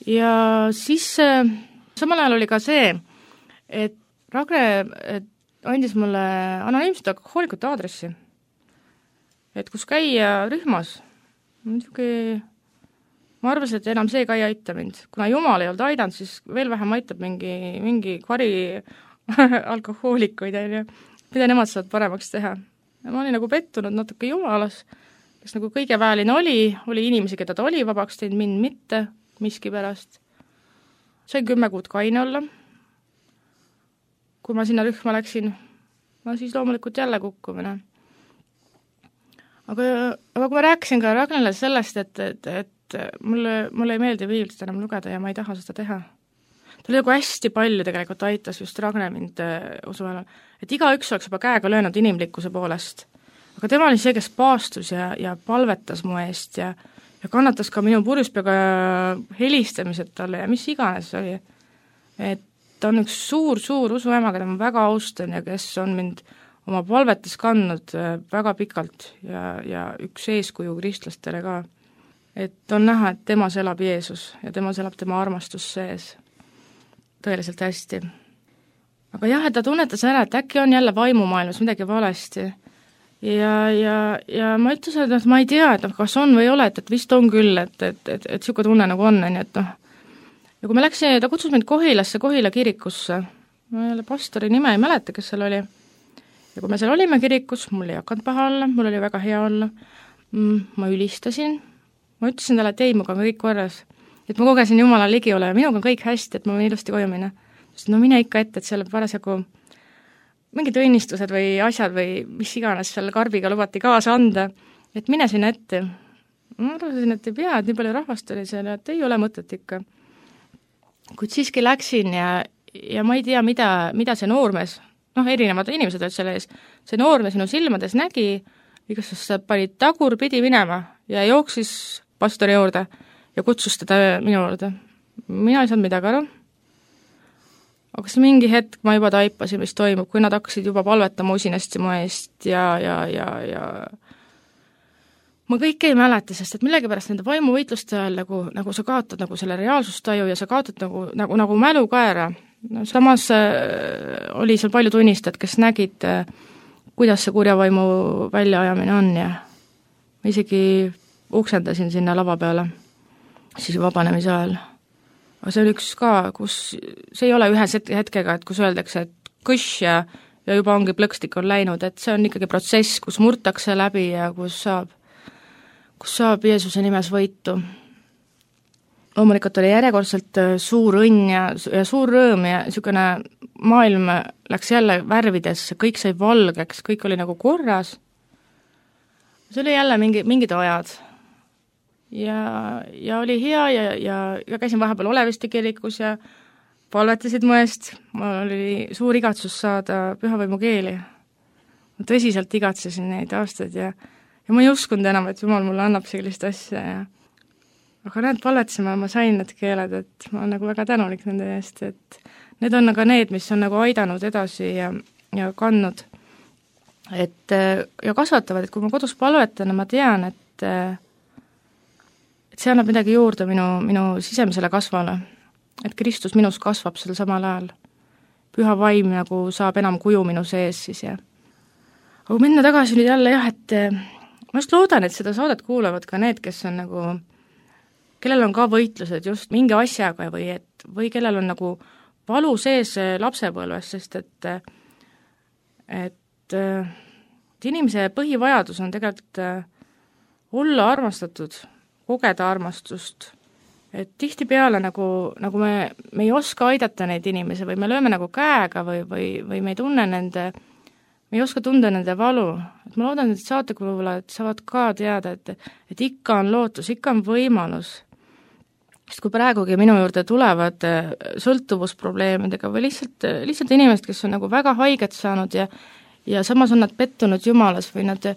Ja siis äh, samal ajal oli ka see, et Ragne et andis mulle anonüümset alkohoolikute aadressi, et kus käia rühmas. Muidugi, ma arvasin, et enam see ka ei aita mind. Kuna jumal ei olnud aidanud, siis veel vähem aitab mingi, mingi kvari alkohoolikuid, mida nemad saavad paremaks teha. Ja ma olin nagu pettunud natuke jumalas, kes nagu kõige väeline oli, oli inimesi, keda ta oli vabaks teinud, mind mitte, miski pärast. Sain kümme kuud kaine olla. Kui ma sinna rühma läksin, no siis loomulikult jälle kukkumine. Aga, aga kui ma rääkisin ka Ragnele sellest, et, et, et mulle, mulle ei meeldi piiblit enam lugeda ja ma ei taha seda teha. Ta oli nagu hästi palju tegelikult aitas just Ragne mind usuelal, et igaüks oleks juba käega löönud inimlikkuse poolest. Aga tema oli see, kes paastus ja, ja palvetas mu eest ja ja kannatas ka minu purjuspeaga helistamised talle ja mis iganes oli. Et ta on üks suur-suur usuema, keda ma väga austan ja kes on mind oma palvetes kandnud väga pikalt ja, ja üks eeskuju kristlastele ka. Et on näha, et temas elab Jeesus ja temas elab tema armastus sees. Tõeliselt hästi. Aga jah, et ta tunnetas ära, et äkki on jälle vaimumaailmas midagi valesti. Ja, ja, ja ma ütlesin, et ma ei tea, et kas on või ei ole, et, et vist on küll, et, et, et, et siuke tunne nagu on, nii et noh. Ja kui me läksin, ta kutsus mind Kohilasse, Kohila kirikusse, ma jälle pastori nime ei mäleta, kes seal oli. Ja kui me seal olime kirikus, mul ei hakanud paha olla, mul oli väga hea olla. Ma ülistasin, ma ütlesin talle, et ei, muga on kõik korras. Et ma kogesin Jumala ligi ole ja minuga on kõik hästi, et ma võin ilusti koju minna. Sest no mine ikka ette, et seal parasjagu mingid õnnistused või asjad või mis iganes seal karbiga lubati kaasa anda, et mine sinna ette. Ma arvasin, et ei pea, et nii palju rahvast oli seal, et ei ole mõtet ikka. Kuid siiski läksin ja, ja ma ei tea, mida, mida see noormees, noh, erinevad inimesed olid selle ees, see noormees minu silmades nägi, igastas pani tagurpidi minema ja jooksis pastori juurde ja kutsus teda minu juurde. Mina ei saanud midagi aru. Aga see mingi hetk ma juba taipasin, mis toimub, kui nad hakkasid juba palvetama usinasti mu eest ja, ja, ja, ja ma kõike ei mäleta, sest et millegipärast nende vaimuvõitluste ajal nagu, nagu sa kaotad nagu selle reaalsustaju ja sa kaotad nagu, nagu, nagu mälu ka ära. No, samas äh, oli seal palju tunnistajad, kes nägid, äh, kuidas see kurjavaimu väljaajamine on ja ma isegi uksendasin sinna lava peale, siis vabanemise ajal. aga see on üks ka, kus see ei ole ühe hetkega, et kus öeldakse, et kõš ja, ja juba ongi plõkstik on läinud, et see on ikkagi protsess, kus murtakse läbi ja kus saab, kus saab Jeesuse nimes võitu. Loomulikult oli järjekordselt suur õnn ja, ja suur rõõm ja niisugune maailm läks jälle värvidesse, kõik sai valgeks, kõik oli nagu korras. See oli jälle mingi, mingid ajad. Ja, ja oli hea ja, ja, ja käisin vahepeal Oleviste kirikus ja palvetasid mu eest. Mul oli suur igatsus saada pühavõimu keeli. Ma tõsiselt igatsesin neid aastaid ja, ja ma ei uskunud enam, et Jumal mulle annab sellist asja ja aga need palvetasime, ma sain need keeled, et ma olen nagu väga tänulik nende eest, et need on aga need, mis on nagu aidanud edasi ja, ja kandnud. Et, ja kasvatavad, et kui ma kodus palvetan, ma tean, et, et see annab midagi juurde minu, minu sisemisele kasvale. Et Kristus minus kasvab sel samal ajal. Püha vaim nagu saab enam kuju minu sees siis ja. Aga kui minna tagasi nüüd jälle jah, et ma just loodan, et seda saadet kuulavad ka need, kes on nagu kellel on ka võitlused just mingi asjaga või, et, või kellel on nagu valu sees lapsepõlves, sest et, et, et inimese põhivajadus on tegelikult olla armastatud, kogeda armastust. Et tihtipeale nagu, nagu me, me ei oska aidata neid inimesi või me lööme nagu käega või, või, või me ei tunne nende, me ei oska tunda nende valu. Et ma loodan, et saatekuulajad saavad ka teada, et, et ikka on lootus, ikka on võimalus. Sest kui praegugi minu juurde tulevad sõltuvusprobleemidega või lihtsalt, lihtsalt inimesed, kes on nagu väga haiget saanud ja, ja samas on nad pettunud Jumalas või nad,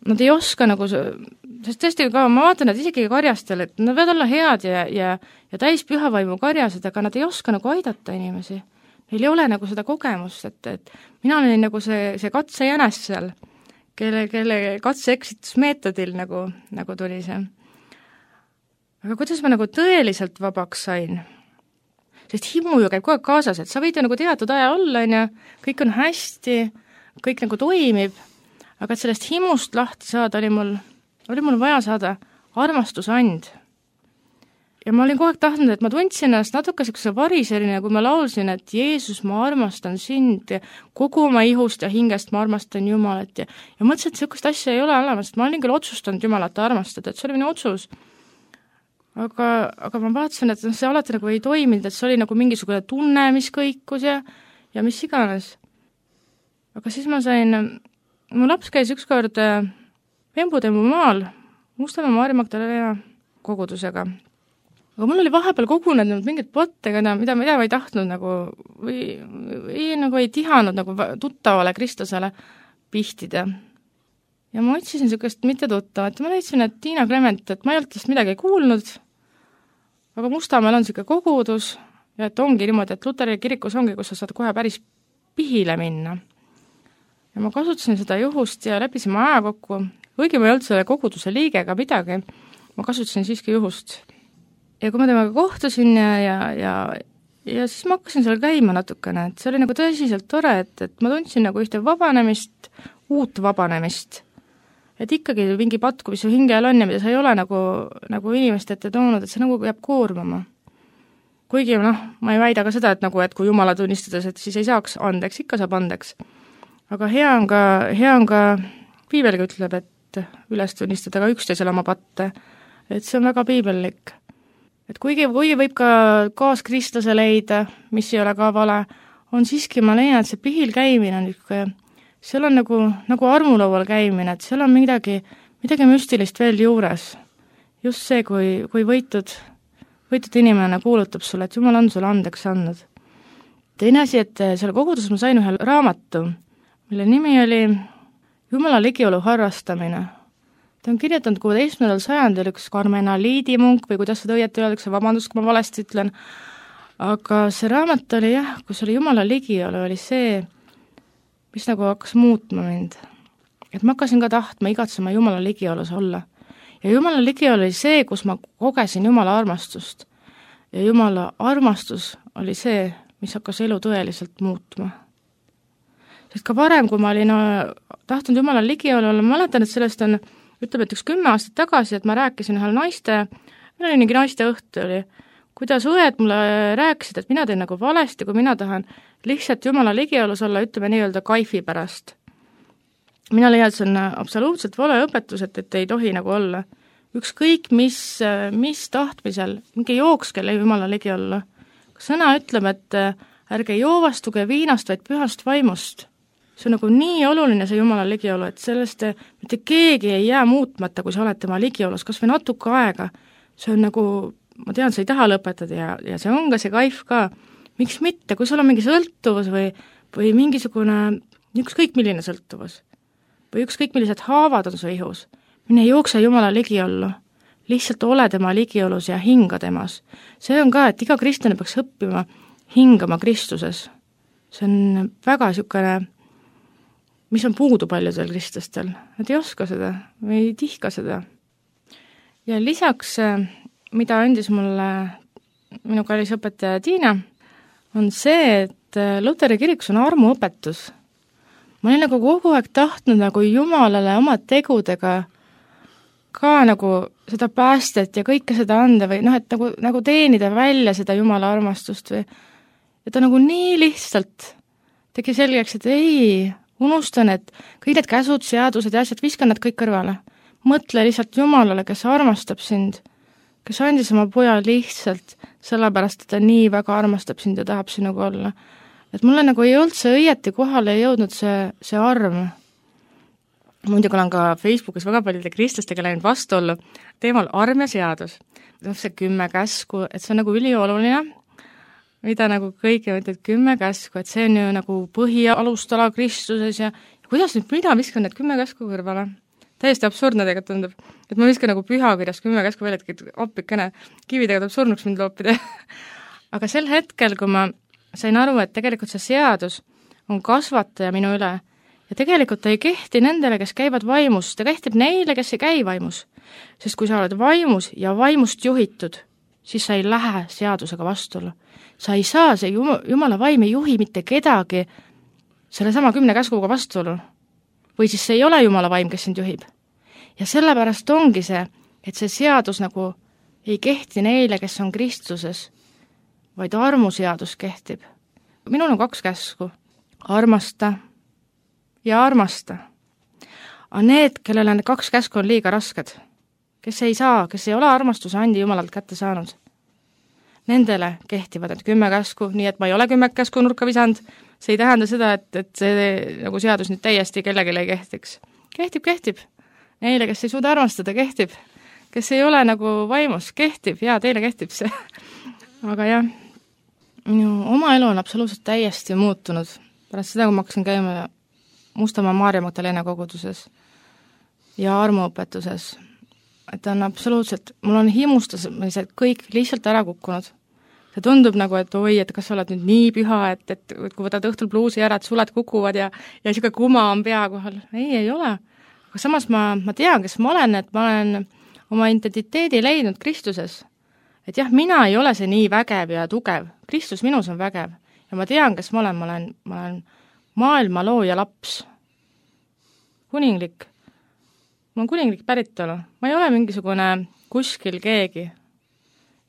nad ei oska nagu, sest tõesti ka ma vaatan, et isegi karjastel, et nad võivad olla head ja, ja, ja täis pühavaimu karjased, aga nad ei oska nagu aidata inimesi. Neil ei ole nagu seda kogemust, et, et mina olin nagu see, see katsejänes seal, kelle, kelle katse-eksitusmeetodil nagu, nagu tuli see. Aga kuidas ma nagu tõeliselt vabaks sain? Sest himu ju käib kogu aeg kaasas, et sa võid ju nagu teatud aja olla, ja kõik on hästi, kõik nagu toimib, aga et sellest himust lahti saada oli mul, oli mul vaja saada armastusand. Ja ma olin kogu aeg tahtnud, et ma tundsin ennast natuke sellise variserina, kui ma laulsin, et Jeesus, ma armastan sind ja kogu oma ihust ja hingest ma armastan Jumalat ja, ja mõtlesin, et sellist asja ei ole olemas, et ma olin küll otsustanud Jumalat armastada, et see oli minu otsus. Aga, aga ma vaatasin, et see alati nagu ei toiminud, et see oli nagu mingisugune tunne, mis kõikus ja, ja mis iganes. Aga siis ma sain, mu laps käis ükskord Vembutemmu maal Mustamäe Maarja Magdalena kogudusega. Aga mul oli vahepeal kogunenud mingid pottega, mida, mida ma ei tahtnud nagu, või, või nagu ei tihanud nagu tuttavale Kristusele pihtida. Ja ma otsisin sellist mitte tuttavat, ma leidsin, et Tiina Clement, et ma ei olnud midagi kuulnud, aga Mustamäel on selline kogudus ja et ongi niimoodi, et Luteri kirikus ongi, kus sa saad kohe päris pihile minna. Ja ma kasutasin seda juhust ja leppisime aja kokku, kuigi ma ei olnud selle koguduse liige ega midagi, ma kasutasin siiski juhust. Ja kui ma temaga kohtusin ja, ja, ja, ja siis ma hakkasin seal käima natukene, et see oli nagu tõsiselt tore, et, et ma tundsin nagu ühte vabanemist, uut vabanemist. Et ikkagi mingi patku, mis su hingel on ja mida sa ei ole nagu, nagu inimeste ette toonud, et see nagu jääb koormama. Kuigi noh, ma ei väida ka seda, et, nagu, et kui Jumala tunnistades, et siis ei saaks andeks, ikka saab andeks. Aga hea on ka, hea on ka piibelgi ütleb, et üles tunnistada ka üksteisele oma patte. Et see on väga piibellik. Et kuigi, kuigi võib ka kaaskristlase leida, mis ei ole ka vale, on siiski, ma leian, et see pihil käimine on niisugune seal on nagu, nagu armulaual käimine, et seal on midagi, midagi müstilist veel juures. Just see, kui, kui võitud, võitud inimene kuulutab sulle, et Jumal on sulle andeks andnud. Teine asi, et selle koguduses ma sain ühe raamatu, mille nimi oli Jumala ligiolu harrastamine. Ta on kirjutanud kuueteistkümnendal sajandil üks karmenaliidimunk või kuidas seda õieti öeldakse, vabandust, kui ma valesti ütlen. Aga see raamat oli jah, kus oli Jumala ligiolu, oli see, mis nagu hakkas muutma mind. Et ma hakkasin ka tahtma igatsema Jumala ligiolus olla. Ja Jumala ligiolu oli see, kus ma kogesin Jumala armastust. Ja Jumala armastus oli see, mis hakkas elu tõeliselt muutma. Sest ka varem, kui ma olin tahtnud Jumala ligiolu olla, ma mäletan, et sellest on, ütleb, et üks kümme aastat tagasi, et ma rääkisin ühel naiste, meil oli mingi naiste õhtu oli, kuidas õed mulle rääkisid, et mina teen nagu valesti, kui mina tahan lihtsalt Jumala ligiolus olla, ütleme nii-öelda kaifi pärast. mina leian, et see on absoluutselt vale õpetus, et, et ei tohi nagu olla. Ükskõik mis, mis tahtmisel, mingi jookskele Jumala ligi olla. Sõna ütleb, et ärge joovastuge viinast, vaid pühast vaimust. See on nagu nii oluline, see Jumala ligiolu, et sellest mitte keegi ei jää muutmata, kui sa oled tema ligiolus, kas või natuke aega. See on nagu, ma tean, sa ei taha lõpetada ja, ja see on ka see kaif ka. Miks mitte, kui sul on mingi sõltuvus või, või mingisugune ükskõik milline sõltuvus või ükskõik millised haavad on su ihus, mine jookse Jumala ligiollu, lihtsalt ole tema ligiolus ja hinga temas. See on ka, et iga kristlane peaks õppima hingama Kristuses. See on väga niisugune, mis on puudu paljudel kristlastel, nad ei oska seda või ei tihka seda. Ja lisaks, mida andis mulle minu kallis õpetaja Tiina, on see, et Luteri kirikus on armuõpetus. Ma olen nagu kogu aeg tahtnud nagu Jumalale oma tegudega ka nagu seda päästet ja kõike seda anda või noh, et nagu, nagu teenida välja seda Jumala armastust või ja ta nagu nii lihtsalt tegi selgeks, et ei, unustan, et kõik need käsud, seadused ja asjad, viskan nad kõik kõrvale. Mõtle lihtsalt Jumalale, kes armastab sind, kes andis oma poja lihtsalt sellepärast, et ta nii väga armastab sind ja tahab sinuga olla. Et mulle nagu ei olnud see õieti kohale jõudnud see, see arm. Muidugi olen ka Facebookis väga paljude kristlastega läinud vastuollu teemal arm ja seadus. See kümme käsku, et see on nagu ülioluline, mida nagu kõik mõtled kümme käsku, et see on ju nagu põhialustala Kristuses ja, ja kuidas nüüd mina viskan need kümme käsku kõrvale? Täiesti absurdne tegelikult tundub, et ma viskan nagu pühakirjas kümme käsku välja, et appikene kividega tuleb surnuks mind loopida. Aga sel hetkel, kui ma sain aru, et tegelikult see seadus on kasvataja minu üle ja tegelikult ta ei kehti nendele, kes käivad vaimus, ta kehtib neile, kes ei käi vaimus. Sest kui sa oled vaimus ja vaimust juhitud, siis sa ei lähe seadusega vastuolu. Sa ei saa, see Jumala vaim ei juhi mitte kedagi selle sama kümne käskuga vastuolu. Või siis see ei ole Jumala vaim, kes sind juhib. Ja sellepärast ongi see, et see seadus nagu ei kehti neile, kes on Kristuses, vaid armuseadus kehtib. Minul on kaks käsku, armasta ja armasta. Aga need, kellele need kaks käsku on liiga rasked, kes ei saa, kes ei ole armastuse andi Jumalalt kätte saanud, nendele kehtivad need kümme käsku, nii et ma ei ole kümme käsku nurka visanud, see ei tähenda seda, et, et see nagu seadus nüüd täiesti kellelegi ei kehtiks. Kehtib, kehtib. Neile, kes ei suuda armastada, kehtib. Kes ei ole nagu vaimus, kehtib. Jaa, teile kehtib see. Aga jah, minu oma elu on absoluutselt täiesti muutunud. Pärast seda, kui ma hakkasin käima Mustamaa Maarja Magdalena koguduses ja armuõpetuses, et on absoluutselt, mul on himustamised kõik lihtsalt ära kukkunud. See tundub nagu, et oi, et kas sa oled nüüd nii püha, et, et kui võtad õhtul pluusi ära, et suled kukuvad ja, ja siuke kuma on pea kohal. Ei, ei ole. Aga samas ma, ma tean, kes ma olen, et ma olen oma identiteedi leidnud Kristuses. Et jah, mina ei ole see nii vägev ja tugev. Kristus minus on vägev. Ja ma tean, kes ma olen. Ma olen, ma olen maailma looja laps. Kuninglik. Ma olen kuninglik päritolu. Ma ei ole mingisugune kuskil keegi.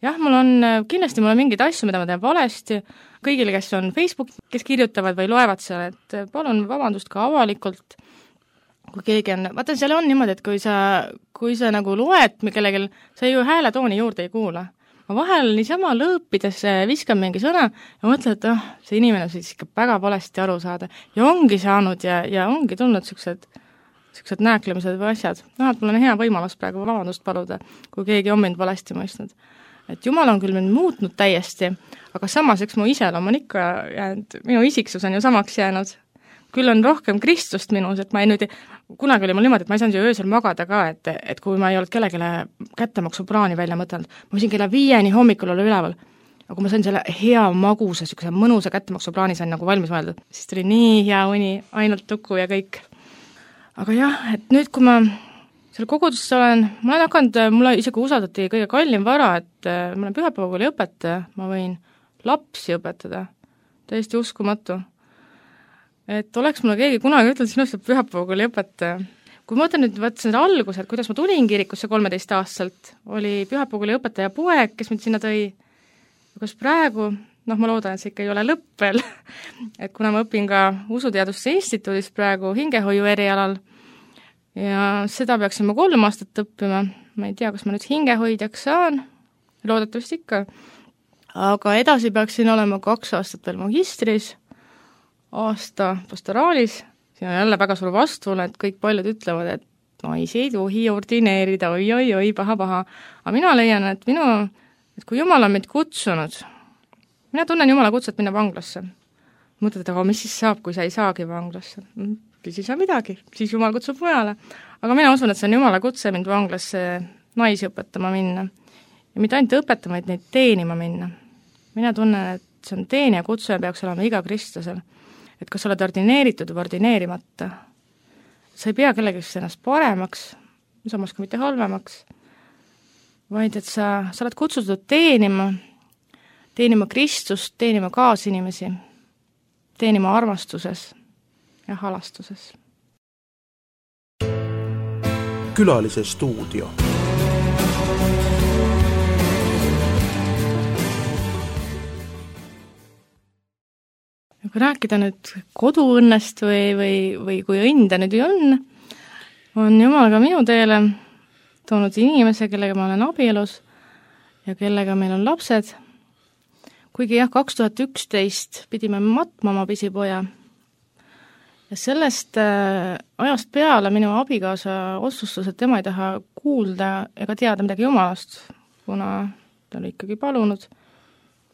Jah, mul on, kindlasti mul on mingeid asju, mida ma teen valesti, kõigile, kes on Facebook, kes kirjutavad või loevad seal, et palun vabandust ka avalikult, kui keegi on, vaata, seal on niimoodi, et kui sa, kui sa nagu loed kellegil, sa ju hääletooni juurde ei kuula. Ma vahel niisama lõõpides viskan mingi sõna ja mõtlen, et oh, see inimene siis ikka väga valesti aru saada. Ja ongi saanud ja, ja ongi tulnud siuksed, siuksed nääklemised või asjad. No, et mul on hea võimalus praegu vabandust paluda, kui keegi on mind valesti mõistnud. Et Jumal on küll mind muutnud täiesti, aga samas, eks mu iseloom on ikka jäänud, minu isiksus on ju samaks jäänud. Küll on rohkem Kristust minus, et ma ei nüüd, kunagi oli mul niimoodi, et ma ei saanud ju öösel magada ka, et, et kui ma ei olnud kellegile kättemaksuplaani välja mõtelnud, ma võisin kella viieni hommikul olla üleval, aga kui ma sain selle hea magusa, siukese mõnusa kättemaksuplaani sain nagu valmis mõeldud, siis tuli nii hea uni, ainult tuku ja kõik. Aga jah, et nüüd, kui ma seal koguduses olen, ma olen hakanud, mulle isegi usaldati kõige kallim vara, et ma olen pühapäevakooli õpetaja, ma võin lapsi õpetada, täiesti uskumatu. Et oleks mulle keegi kunagi ütelnud, sinust on pühapäevakooli õpetaja. Kui ma mõtlen nüüd, võtsin seda algused, kuidas ma tulin kirikusse kolmeteist aastaselt, oli pühapäevakooli õpetaja poeg, kes mind sinna tõi, kas praegu, noh, ma loodan, et see ikka ei ole lõpp veel, et kuna ma õpin ka Usuteaduste Instituudis praegu hingehoiu erialal ja seda peaksin ma kolm aastat õppima, ma ei tea, kas ma nüüd hingehoidjaks saan, loodetavasti ikka, aga edasi peaksin olema kaks aastat veel magistris, aasta pastoraalis, siin on jälle väga suur vastuolu, et kõik paljud ütlevad, et naisi ei tohi ordineerida, oi, oi, oi, paha, paha. Aga mina leian, et minu, et kui Jumal on meid kutsunud, mina tunnen Jumala kutset minna vanglasse. Mõtled, aga mis siis saab, kui sa ei saagi vanglasse? Siis ei saa midagi, siis Jumal kutsub mujale. Aga mina usun, et see on Jumala kutse mind vanglasse naisi õpetama minna. Ja mitte ainult õpetama, et neid teenima minna. Mina tunnen, et see on teenija kutse ja peaks olema iga kristlasel. Et kas oled ordineeritud või ordineerimata. Sa ei pea kellegist ennast paremaks, samas ka mitte halvemaks, vaid et sa, sa oled kutsutud teenima, teenima Kristust, teenima kaasinimesi, teenima armastuses ja halastuses. Külalise stuudio. Kui rääkida nüüd koduõnnest või, või, või kui õnda nüüd on, on Jumal ka minu teele toonud inimese, kellega ma olen abielus ja kellega meil on lapsed. Kuigi jah, kaks tuhat üksteist pidime matma oma pisipoja. Ja sellest äh, ajast peale minu abikaasa otsustas, et tema ei taha kuulda ega teada midagi Jumalast, kuna ta oli ikkagi palunud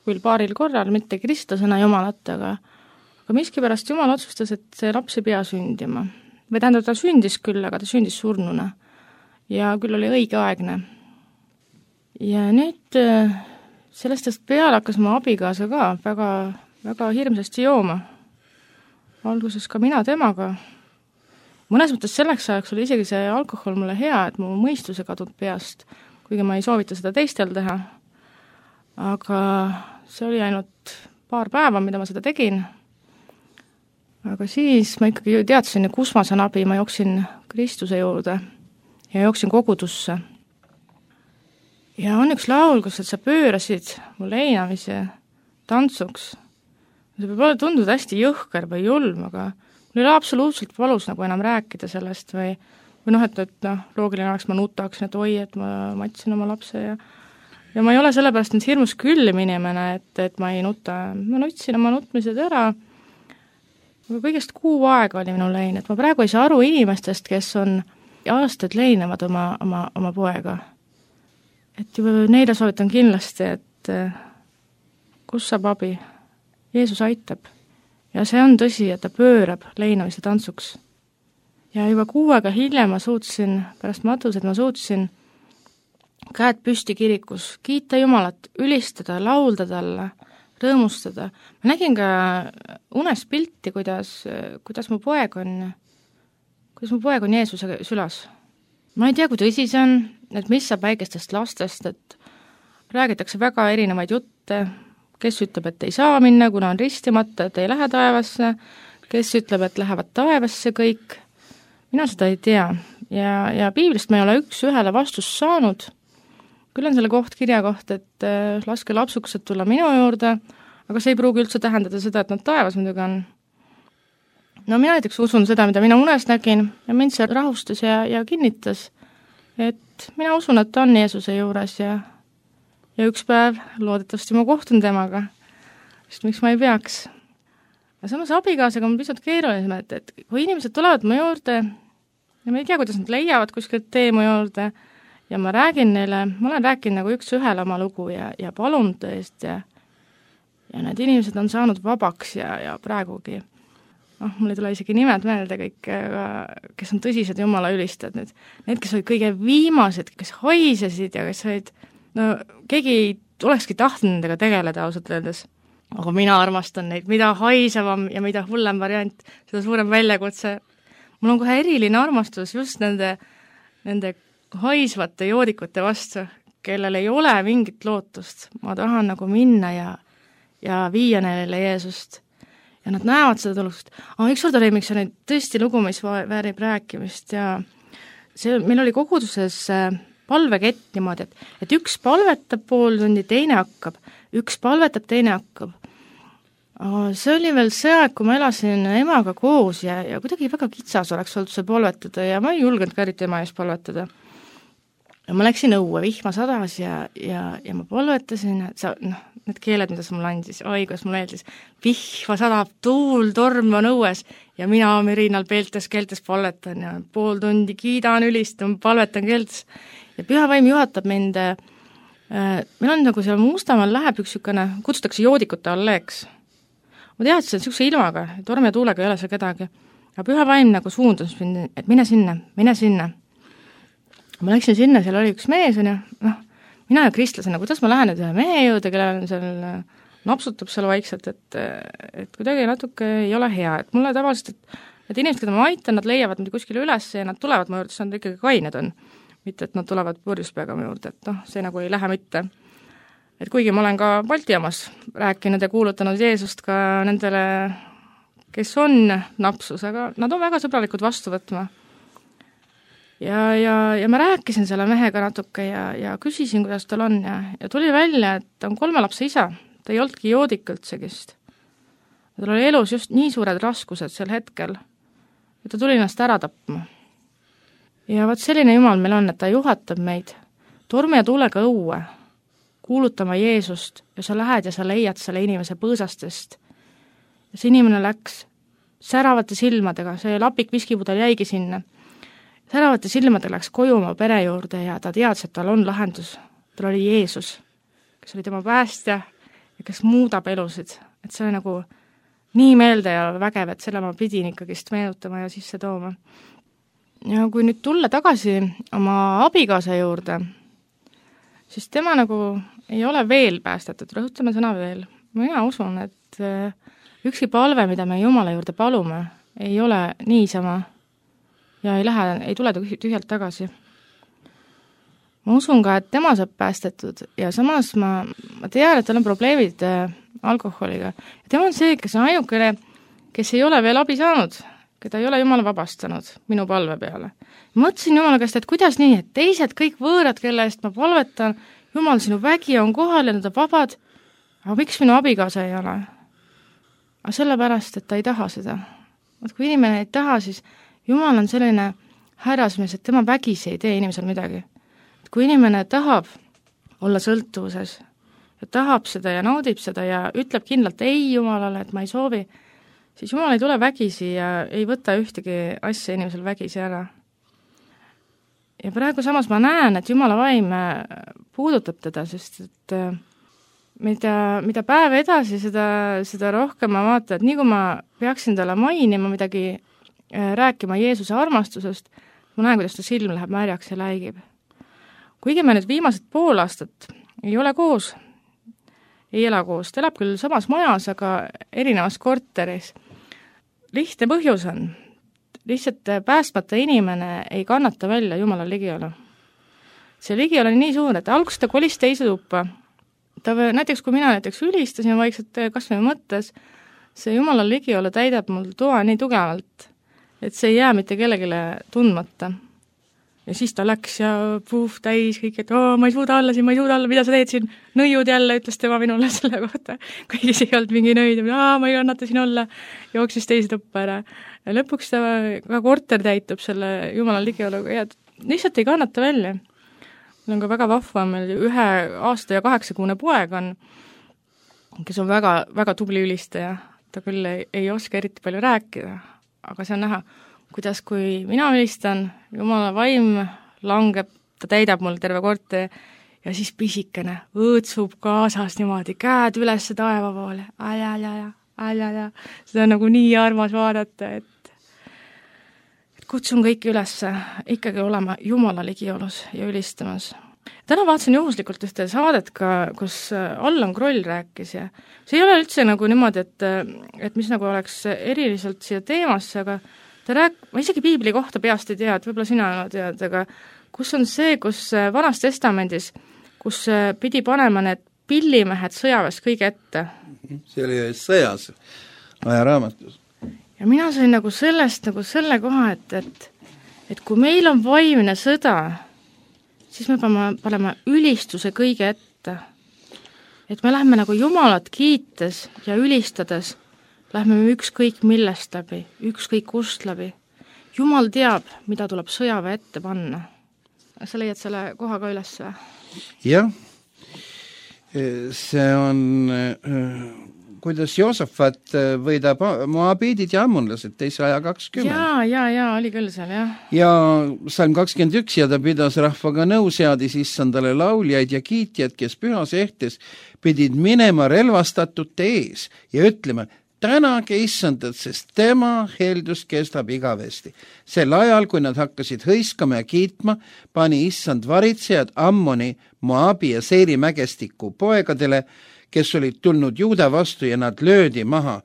küll paaril korral, mitte kristlasena Jumalat, aga aga miskipärast Jumal otsustas, et see laps ei pea sündima. Või tähendab, ta sündis küll, aga ta sündis surnuna. Ja küll oli õigeaegne. Ja nüüd sellest peale hakkas ma abikaasa ka väga, väga hirmsasti jooma. Alguses ka mina temaga. Mõnes mõttes selleks ajaks oli isegi see alkohol mulle hea, et mu mõistuse kadunud peast, kuigi ma ei soovita seda teistel teha. Aga see oli ainult paar päeva, mida ma seda tegin. Aga siis ma ikkagi teadsin, kus ma saan abi, ma jooksin Kristuse juurde ja jooksin kogudusse. Ja on üks laul, kus sa pöörasid mu leinamise tantsuks. See võib olla tunduda hästi jõhker või julm, aga mul ei ole absoluutselt valus nagu enam rääkida sellest või, või noh, et, et noh, loogiline oleks ma nutaksin, et oi, et ma matsin oma lapse ja ja ma ei ole sellepärast nüüd hirmus küllim inimene, et, et ma ei nuta, ma nutsin oma nutmised ära. Aga kõigest kuu aega oli minu lein, et ma praegu ei saa aru inimestest, kes on aastaid leinevad oma, oma, oma poega. Et juba neile soovitan kindlasti, et kus saab abi? Jeesus aitab. Ja see on tõsi, et ta pöörab leinamise tantsuks. Ja juba kuu aega hiljem ma suutsin, pärast matused ma suutsin käed püsti kirikus, kiita Jumalat, ülistada, laulda talle, rõõmustada. Ma nägin ka unes pilti, kuidas, kuidas mu poeg on, kuidas mu poeg on Jeesuse sülas. Ma ei tea, kui tõsi see on, et mis saab väikestest lastest, et räägitakse väga erinevaid jutte, kes ütleb, et ei saa minna, kuna on ristimata, et ei lähe taevasse, kes ütleb, et lähevad taevasse kõik. Mina seda ei tea. Ja, ja piiblist ma ei ole üks ühele vastust saanud. Küll on selle koht kirja koht, et äh, laske lapsuksed tulla minu juurde, aga see ei pruugi üldse tähendada seda, et nad taevas muidugi on. No mina näiteks usun seda, mida mina unes nägin ja mind see rahustas ja, ja kinnitas, et mina usun, et ta on Jeesuse juures ja, ja üks päev loodetavasti ma kohtun temaga, sest miks ma ei peaks. Ja samas abikaasaga on pisut keerulisem, et, et kui inimesed tulevad mu juurde ja ma ei tea, kuidas nad leiavad kuskilt tee mu juurde, ja ma räägin neile, ma olen rääkinud nagu üks ühele oma lugu ja, ja palun tõest ja, ja need inimesed on saanud vabaks ja, ja praegugi, noh, mul ei tule isegi nimed meelde kõik, kes on tõsised Jumala ülistajad nüüd. Need, kes olid kõige viimased, kes haisesid ja kes olid, no keegi ei olekski tahtnud nendega tegeleda ausalt öeldes. Aga mina armastan neid, mida haisevam ja mida hullem variant, seda suurem väljakutse. Mul on kohe eriline armastus just nende, nende haisvate joodikute vastu, kellel ei ole mingit lootust. Ma tahan nagu minna ja, ja viia neile Jeesust. Ja nad näevad seda tulust. Aga üks kord oli, miks on tõesti lugu, mis väärib rääkimist ja see, meil oli koguduses palvekett niimoodi, et, et üks palvetab pool tundi, teine hakkab, üks palvetab, teine hakkab. See oli veel see aeg, kui ma elasin emaga koos ja, ja kuidagi väga kitsas oleks olnud see palvetada ja ma ei julgenud ka eriti ema ees palvetada. Ja ma läksin õue, vihma sadas ja, ja, ja ma palvetasin, et sa, noh, need keeled, mida sa mulle andis, oi, kuidas mulle eeldis, vihma sadab, tuul, torm on õues ja mina mürinal peeltes keeltes palvetan ja pool tundi kiidan, ülistan, palvetan keeltes ja püha vaim juhatab mind, äh, meil on nagu seal Mustamaal läheb üks niisugune, kutsutakse joodikute alleeks. Ma tead, see on niisuguse ilmaga, tormi ja tuulega ei ole seal kedagi, aga püha vaim nagu suundus mind, et mine sinna, mine sinna. Ma läksin sinna, seal oli üks mees, on ju, noh, mina ja kristlasena, kuidas ma lähen nüüd ühe mehe juurde, kellel seal napsutab seal vaikselt, et, et kuidagi natuke ei ole hea, et mulle tavaliselt, et, et inimesed, keda ma aitan, nad leiavad mind kuskile üles ja nad tulevad mu juurde, siis nad ikkagi kained on. Mitte, et nad tulevad purjuspeaga mu juurde, et noh, see nagu ei lähe mitte. Et kuigi ma olen ka Balti jaamas rääkinud ja kuulutanud Jeesust ka nendele, kes on napsus, aga nad on väga sõbralikud vastu võtma. Ja, ja, ja ma rääkisin selle mehega natuke ja, ja küsisin, kuidas tal on ja, ja tuli välja, et ta on kolme lapse isa, ta ei oldki joodik üldsegist. Tal oli elus just nii suured raskused sel hetkel, et ta tuli ennast ära tapma. Ja vaat selline Jumal meil on, et ta juhatab meid tormi ja tuulega õue, kuulutama Jeesust ja sa lähed ja sa leiad selle inimese põõsastest. Ja see inimene läks säravate silmadega, see lapik viskipudel jäigi sinna. Säravate silmadega läks koju oma pere juurde ja ta teadis, et tal on lahendus. Tal oli Jeesus, kes oli tema päästja ja kes muudab elusid. Et see oli nagu nii meelde ja vägev, et selle ma pidin ikkagist meenutama ja sisse tooma. Ja kui nüüd tulla tagasi oma abikaasa juurde, siis tema nagu ei ole veel päästetud, rõhutame sõna veel. Mina usun, et ükski palve, mida me Jumala juurde palume, ei ole niisama ja ei lähe, ei tule tühjalt tagasi. Ma usun ka, et tema saab päästetud ja samas ma, ma tean, et tal on probleemid äh, alkoholiga. Ja tema on see, kes on ainukene, kes ei ole veel abi saanud, keda ei ole Jumal vabastanud minu palve peale. Mõtlesin Jumala käest, et kuidas nii, et teised kõik võõrad, kelle eest ma palvetan, Jumal, sinu vägi on kohal ja nad on vabad, aga miks minu abikaasa ei ole? Aga sellepärast, et ta ei taha seda. Vaat kui inimene ei taha, siis Jumal on selline härrasmees, et tema vägis ei tee inimesel midagi. Et kui inimene tahab olla sõltuvuses ja tahab seda ja naudib seda ja ütleb kindlalt ei Jumalale, et ma ei soovi, siis Jumal ei tule vägisi ja ei võta ühtegi asja inimesel vägisi ära. Ja praegu samas ma näen, et Jumala vaim puudutab teda, sest et mida, mida päev edasi, seda, seda rohkem ma vaatan, et nii kui ma peaksin talle mainima midagi, rääkima Jeesuse armastusest, ma näen, kuidas ta silm läheb märjaks ja läigib. Kuigi me nüüd viimased pool aastat ei ole koos, ei ela koos, ta elab küll samas majas, aga erinevas korteris. Lihtne põhjus on, lihtsalt päästmata inimene ei kannata välja Jumala ligiolu. See ligiolu on nii suur, et alguses ta kolis teise tuppa. Ta, näiteks kui mina näiteks ülistasin vaikselt kas või mõttes, see Jumala ligiolu täidab mul toa nii tugevalt, et see ei jää mitte kellegile tundmata. Ja siis ta läks ja puh, täis kõik, et oo, ma ei suuda alla siin, ma ei suuda alla, mida sa teed siin, nõiud jälle, ütles tema minule selle kohta. Kõigis ei olnud mingi nõid, aa, ma ei kannata siin olla, jooksis teise tuppa ära. Ja lõpuks ta ka korter täitub selle Jumala ligioluga ja lihtsalt ei kannata välja. Meil on ka väga vahva, meil ühe aasta ja kaheksakuune poeg on, kes on väga, väga tubli ülistaja. Ta küll ei, ei oska eriti palju rääkida, aga see on näha, kuidas kui mina ülistan, Jumala vaim langeb, ta täidab mul terve korteri ja siis pisikene õõtsub kaasas niimoodi, käed üles taeva poole, ajajaja, ajajaja, seda on nagu nii armas vaadata, et, et kutsun kõiki üles ikkagi olema Jumala ligiolus ja ülistamas. Täna vaatasin juhuslikult ühte saadet ka, kus Allan Kroll rääkis ja see ei ole üldse nagu niimoodi, et, et mis nagu oleks eriliselt siia teemasse, aga ta rääk-, ma isegi piibli kohta peast ei tea, et võib-olla sina tead, aga kus on see, kus Vanas Testamendis, kus pidi panema need pillimehed sõjaväest kõige ette. See oli sõjas ajaraamatus. Ja mina sain nagu sellest nagu selle koha, et, et, et kui meil on vaimne sõda, siis me peame panema ülistuse kõige ette. Et me lähme nagu Jumalat kiites ja ülistades, lähme me ükskõik millest läbi, ükskõik kust läbi. Jumal teab, mida tuleb sõjaväe ette panna. Sa leiad selle koha ka üles või? Jah, see on, kuidas Joosafat võidab moabiidid ja ammonlased teise aja kakskümmend. Jaa, jaa, jaa, oli küll seal, jah. Ja salm kakskümmend üks ja ta pidas rahvaga nõu, seadis issandale lauljaid ja kiitjad, kes pühas ehtes pidid minema relvastatute ees ja ütlema, tänage issandat, sest tema heldus kestab igavesti. Sel ajal, kui nad hakkasid hõiskama ja kiitma, pani issand varitsejad Ammoni, Moabi ja Seiri mägestiku poegadele, kes olid tulnud Juuda vastu ja nad löödi maha.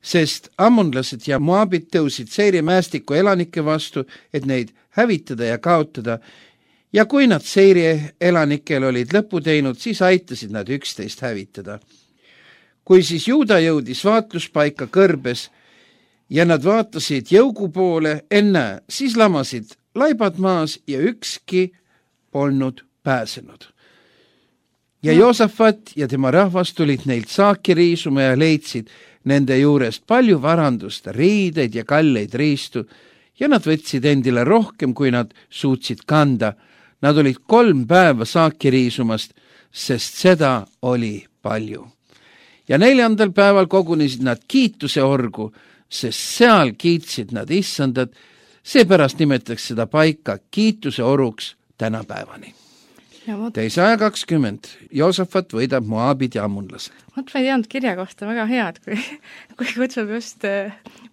Sest ammonlased ja Moabid tõusid Seiri mäestiku elanike vastu, et neid hävitada ja kaotada. Ja kui nad Seiri elanikel olid lõpu teinud, siis aitasid nad üksteist hävitada. Kui siis Juuda jõudis vaatluspaika kõrbes ja nad vaatasid jõugu poole, enne siis lamasid laibad maas ja ükski polnud pääsenud. Ja Joosafat ja tema rahvas tulid neilt saaki riisuma ja leidsid nende juurest palju varandust, riideid ja kalleid riistu ja nad võtsid endile rohkem, kui nad suutsid kanda. Nad olid kolm päeva saaki riisumast, sest seda oli palju. Ja neljandal päeval kogunesid nad kiituse orgu, sest seal kiitsid nad issandat, seepärast nimetatakse seda paika kiituse oruks tänapäevani. Teise aja kakskümmend, Joosafat võidab Moabid ja ammonlased. Mõt ma ei teadnud kirja kohta väga head, kui, kui kutsub just,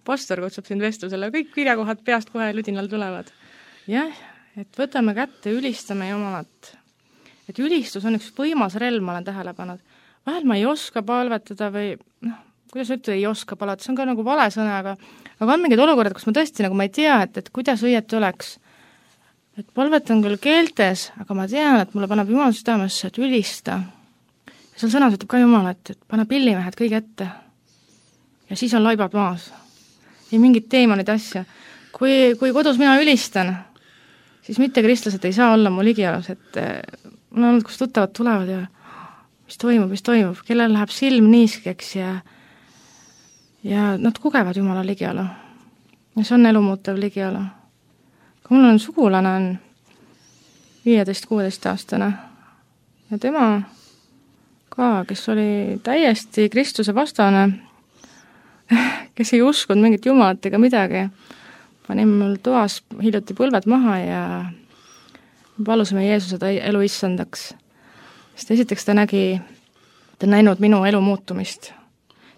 pastor kutsub sind vestlusele, kõik kirjakohad peast kohe ludinal tulevad. Jah, et võtame kätte, ülistame Jumalat. Et ülistus on üks võimas relv, ma olen tähele pannud. Vahel ma ei oska palvetada või, noh, kuidas ütleda, ei oska palvetada, see on ka nagu vale sõna, aga, aga on mingid olukorrad, kus ma tõesti nagu ma ei tea, et, et kuidas õieti oleks. Et palvetan küll keeltes, aga ma tean, et mulle paneb Jumal südamesse, et ülista. Ja seal sõnas ütleb ka Jumal, et, et pane pillimehed kõige ette. Ja siis on laibad maas. Ei mingit teemonid asja. Kui, kui kodus mina ülistan, siis mitte kristlased ei saa olla mu ligialus, et mul on olnud, kus tuttavad tulevad ja mis toimub, mis toimub, kellel läheb silm niiskeks ja, ja nad kogevad Jumala ligiala. Ja see on elumuutev ligiala. Kui mul on sugulane on viieteist kuueteist aastane ja tema ka, kes oli täiesti Kristuse vastane, kes ei uskunud mingit Jumalat ega midagi, pani mul toas hiljuti põlved maha ja palusime Jeesuse elu issandaks. Sest esiteks ta nägi, ta näinud minu elu muutumist.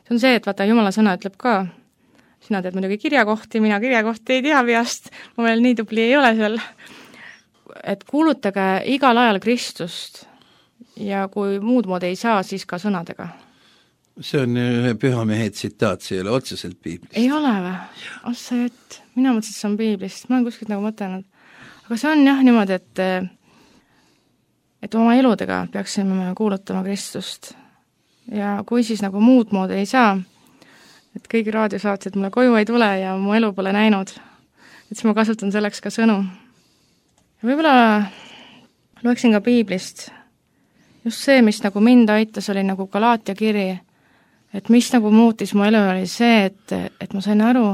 See on see, et vaata, Jumala sõna ütleb ka, sina tead muidugi kirjakohti, mina kirjakohti ei tea peast, ma veel nii tubli ei ole seal, et kuulutage igal ajal Kristust ja kui muud moodi ei saa, siis ka sõnadega. See on ühe pühamehe tsitaat, see ei ole otseselt piiblist. Ei ole või? Ossa jett, mina mõtlesin, et see on piiblist, ma olen kuskilt nagu mõtelnud. Aga see on jah niimoodi, et et oma eludega peaksime kuulutama Kristust. Ja kui siis nagu muud moodi ei saa, et kõik raadiosaatjad mulle koju ei tule ja mu elu pole näinud, et siis ma kasutan selleks ka sõnu. Ja võib-olla loeksin ka piiblist. Just see, mis nagu mind aitas, oli nagu Galaatia kiri, et mis nagu muutis mu elu, oli see, et, et ma sain aru,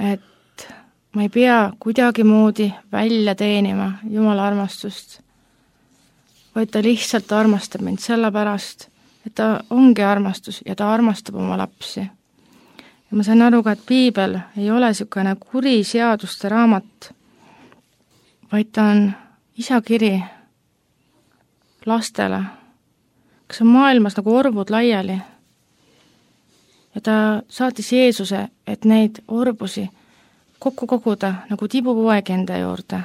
et ma ei pea kuidagi moodi välja teenima Jumala armastust, vaid ta lihtsalt armastab mind sellepärast, et ta ongi armastus ja ta armastab oma lapsi. Ja ma sain aru ka, et piibel ei ole niisugune kuri seaduste raamat, vaid ta on isa kiri lastele, kes on maailmas nagu orvud laiali. Ja ta saatis Jeesuse, et neid orbusi kokku koguda nagu tibupoegi enda juurde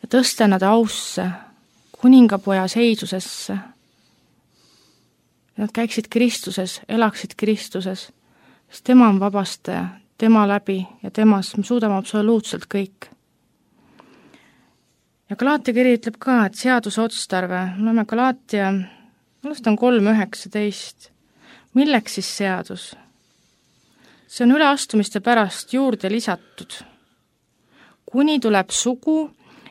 ja tõsta nad ausse, kuningapoja seisusesse. Nad käiksid Kristuses, elaksid Kristuses, sest tema on vabastaja, tema läbi ja temas me suudame absoluutselt kõik. Ja Galaatia kiri ütleb ka, et seaduse otstarve, me oleme Galaatia, millest on kolm üheksateist, milleks siis seadus? See on üleastumiste pärast juurde lisatud. Kuni tuleb sugu,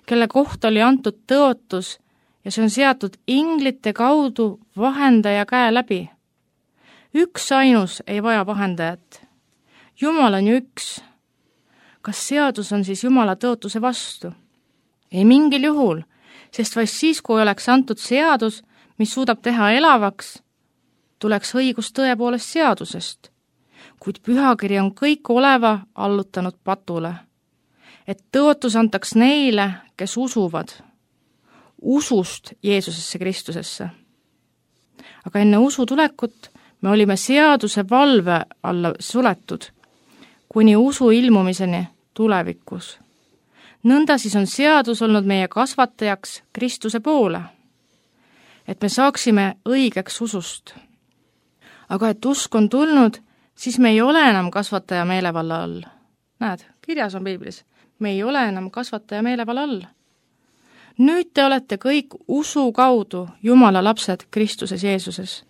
kelle kohta oli antud tõotus ja see on seatud inglite kaudu vahendaja käe läbi. Üks ainus ei vaja vahendajat. Jumal on ju üks. Kas seadus on siis Jumala tõotuse vastu? Ei mingil juhul, sest vaid siis, kui oleks antud seadus, mis suudab teha elavaks, tuleks õigus tõepoolest seadusest. Kuid pühakiri on kõik oleva allutanud patule, et tõotus antaks neile, kes usuvad, usust Jeesusesse Kristusesse. Aga enne usu tulekut me olime seaduse valve alla suletud, kuni usu ilmumiseni tulevikus. Nõnda siis on seadus olnud meie kasvatajaks Kristuse poole, et me saaksime õigeks usust. Aga et usk on tulnud, siis me ei ole enam kasvataja meelevalla all. Näed, kirjas on Piiblis, me ei ole enam kasvataja meelevalla all. Nüüd te olete kõik usu kaudu Jumala lapsed Kristuses Jeesuses,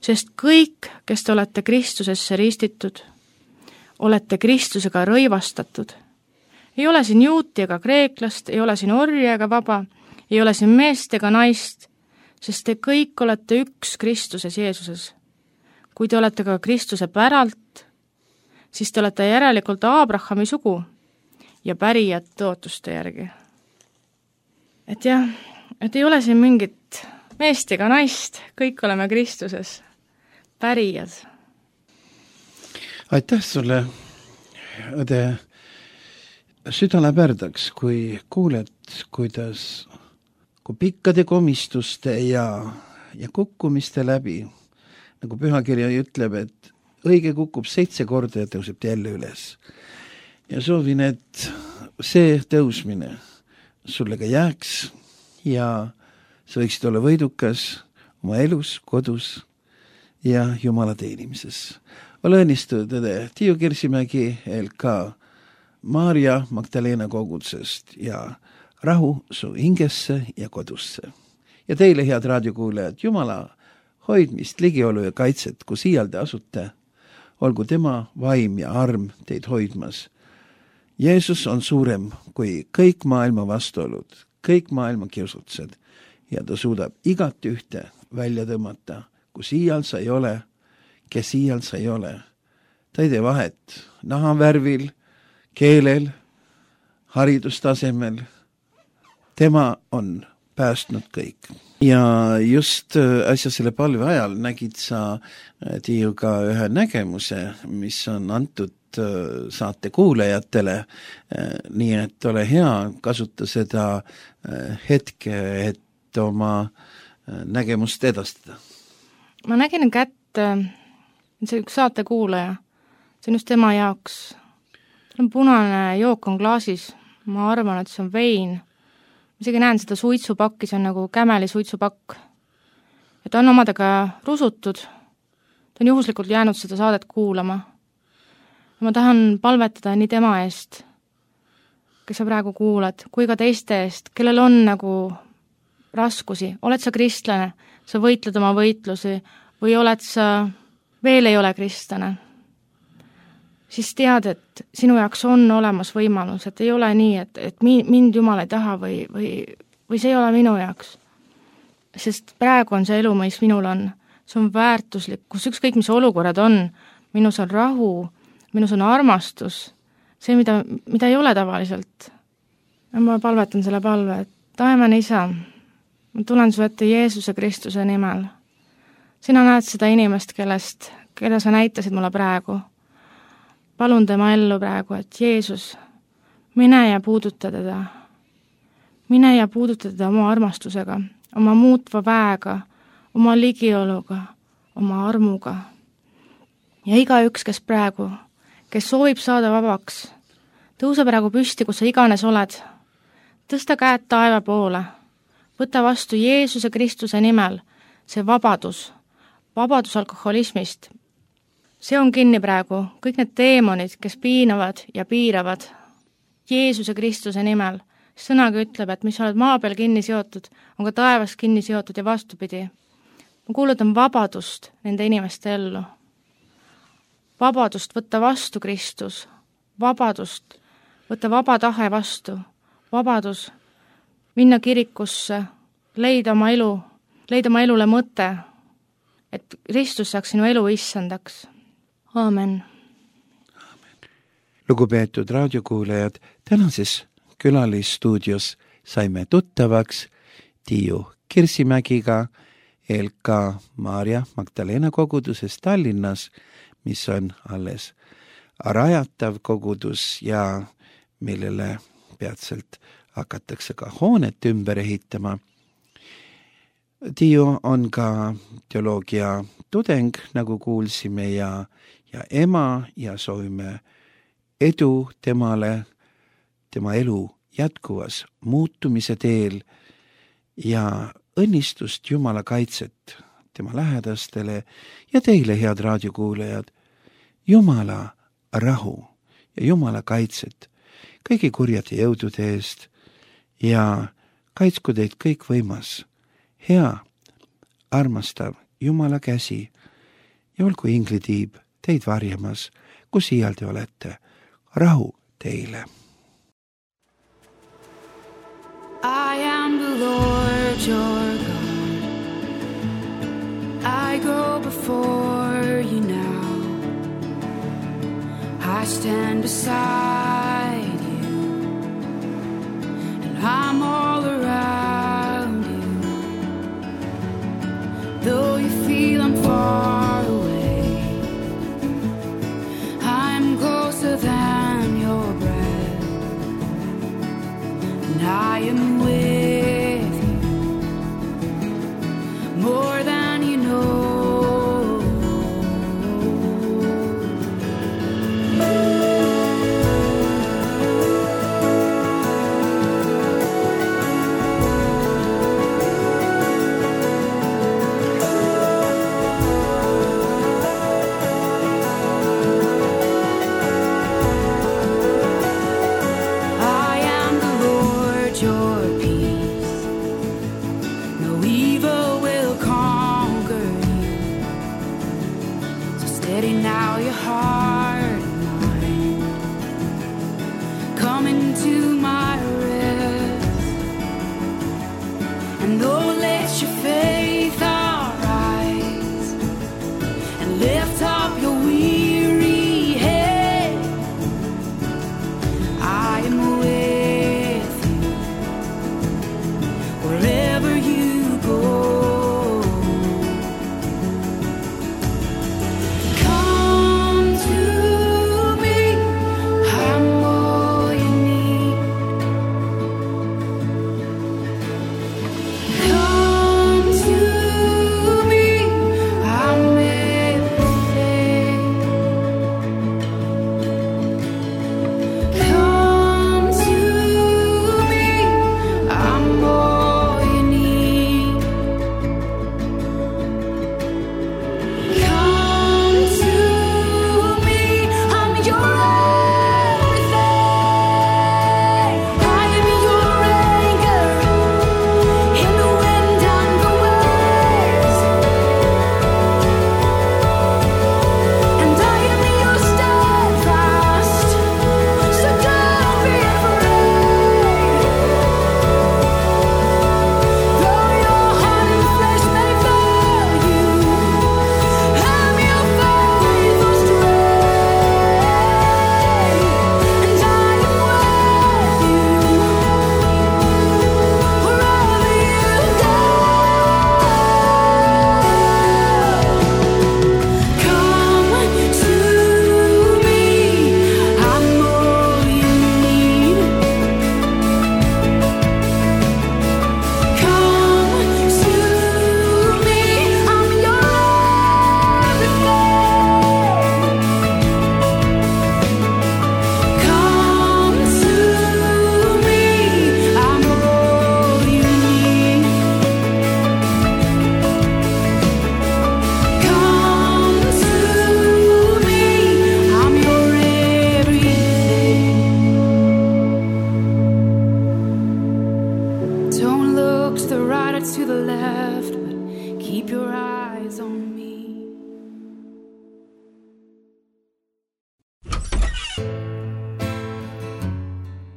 sest kõik, kes te olete Kristusesse ristitud, olete Kristusega rõivastatud. Ei ole siin juuti ega kreeklast, ei ole siin orja ega vaba, ei ole siin meest ega naist, sest te kõik olete üks Kristuses Jeesuses. Kui te olete ka Kristuse päralt, siis te olete järelikult Aabrahami sugu ja pärijad tõotuste järgi. Et jah, et ei ole siin mingit meest ega naist, kõik oleme Kristuses pärijad. Aitäh sulle, õde. Süda läheb ärdaks, kui kuuled, kuidas, kui pikkade komistuste ja, ja kukkumiste läbi, nagu pühakirja ütleb, et õige kukub seitse korda ja tõuseb jälle üles. Ja soovin, et see tõusmine sulle ka jääks ja sa võiksid olla võidukas oma elus, kodus ja Jumala teenimises. Ole õnnistunud, õde Tiiu Kirsimägi L K Maarja Magdalena kogudsest ja rahu su hingesse ja kodusse. Ja teile, head raadiokuulajad, Jumala hoidmist, ligiolu ja kaitset, kus iial te asute, olgu tema vaim ja arm teid hoidmas. Jeesus on suurem kui kõik maailma vastuolud, kõik maailma kiusutused ja ta suudab igat ühte välja tõmmata, kus iial sa ei ole, kes iial sa ei ole. Ta ei tee vahet nahavärvil, keelel, haridustasemel. Tema on päästnud kõik. Ja just äsja selle palve ajal nägid sa Tiiuga ühe nägemuse, mis on antud saate kuulajatele, nii et ole hea, kasuta seda hetke, et oma nägemust edastada. Ma nägin kätt, see üks saate kuulaja, see on just tema jaoks. See on punane jook on klaasis, ma arvan, et see on vein. Ma isegi näen seda suitsupakki, see on nagu kämeli suitsupakk. Ja ta on omadega rusutud, ta on juhuslikult jäänud seda saadet kuulama. Ma tahan palvetada nii tema eest, kes sa praegu kuulad, kui ka teiste eest, kellel on nagu raskusi. Oled sa kristlane, sa võitled oma võitlusi või oled sa, veel ei ole kristlane, siis tead, et sinu jaoks on olemas võimalus, et ei ole nii, et, et mind Jumal ei taha või, või, või see ei ole minu jaoks. Sest praegu on see elu, mis minul on, see on väärtuslik, kus ükskõik mis olukorrad on, minus on rahu, minus on armastus, see, mida, mida ei ole tavaliselt. Ja ma palvetan selle palve, et taevane isa, ma tulen su ette Jeesuse Kristuse nimel. Sina näed seda inimest, kellest, keda sa näitasid mulle praegu. Palun tema ellu praegu, et Jeesus, mine ja puuduta teda. Mine ja puuduta teda oma armastusega, oma muutva väega, oma ligioluga, oma armuga. Ja iga üks, kes praegu, kes soovib saada vabaks, tõuse praegu püsti, kus sa iganes oled. Tõsta käed taeva poole. Võta vastu Jeesuse Kristuse nimel see vabadus, vabadus alkoholismist. See on kinni praegu, kõik need teemonid, kes piinavad ja piiravad Jeesuse Kristuse nimel. Sõnaga ütleb, et mis oled maa peal kinni seotud, on ka taevas kinni seotud ja vastupidi. Ma kuulutan vabadust nende inimeste ellu. Vabadust võtta vastu Kristus, vabadust võtta vaba tahe vastu, vabadus minna kirikusse, leida oma elu, leida oma elule mõte, et Kristus saaks sinu elu issandaks. Aamen. Lugupeetud raadiokuulajad, tänases külalisstuudios saime tuttavaks Tiiu Kirsimägiga L K Maarja Magdalena koguduses Tallinnas, mis on alles rajatav kogudus ja millele peatselt hakatakse ka hoonet ümber ehitama. Tiiu on ka teoloogia tudeng, nagu kuulsime, ja, ja ema ja soovime edu temale, tema elu jätkuvas muutumise teel ja õnnistust Jumala kaitset tema lähedastele ja teile, head raadiokuulajad, Jumala rahu ja Jumala kaitset kõigi kurjade jõudude eest ja kaitsku teid kõik võimas, hea, armastav Jumala käsi ja olgu inglitiib teid varjamas, kus iial te olete. Rahu teile. I am the Lord your God. I go before you now. I stand beside you, and I'm all around you. Though you feel I'm far away, I'm closer than your breath, and I am with you more than you know.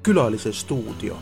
Külalise stuudio.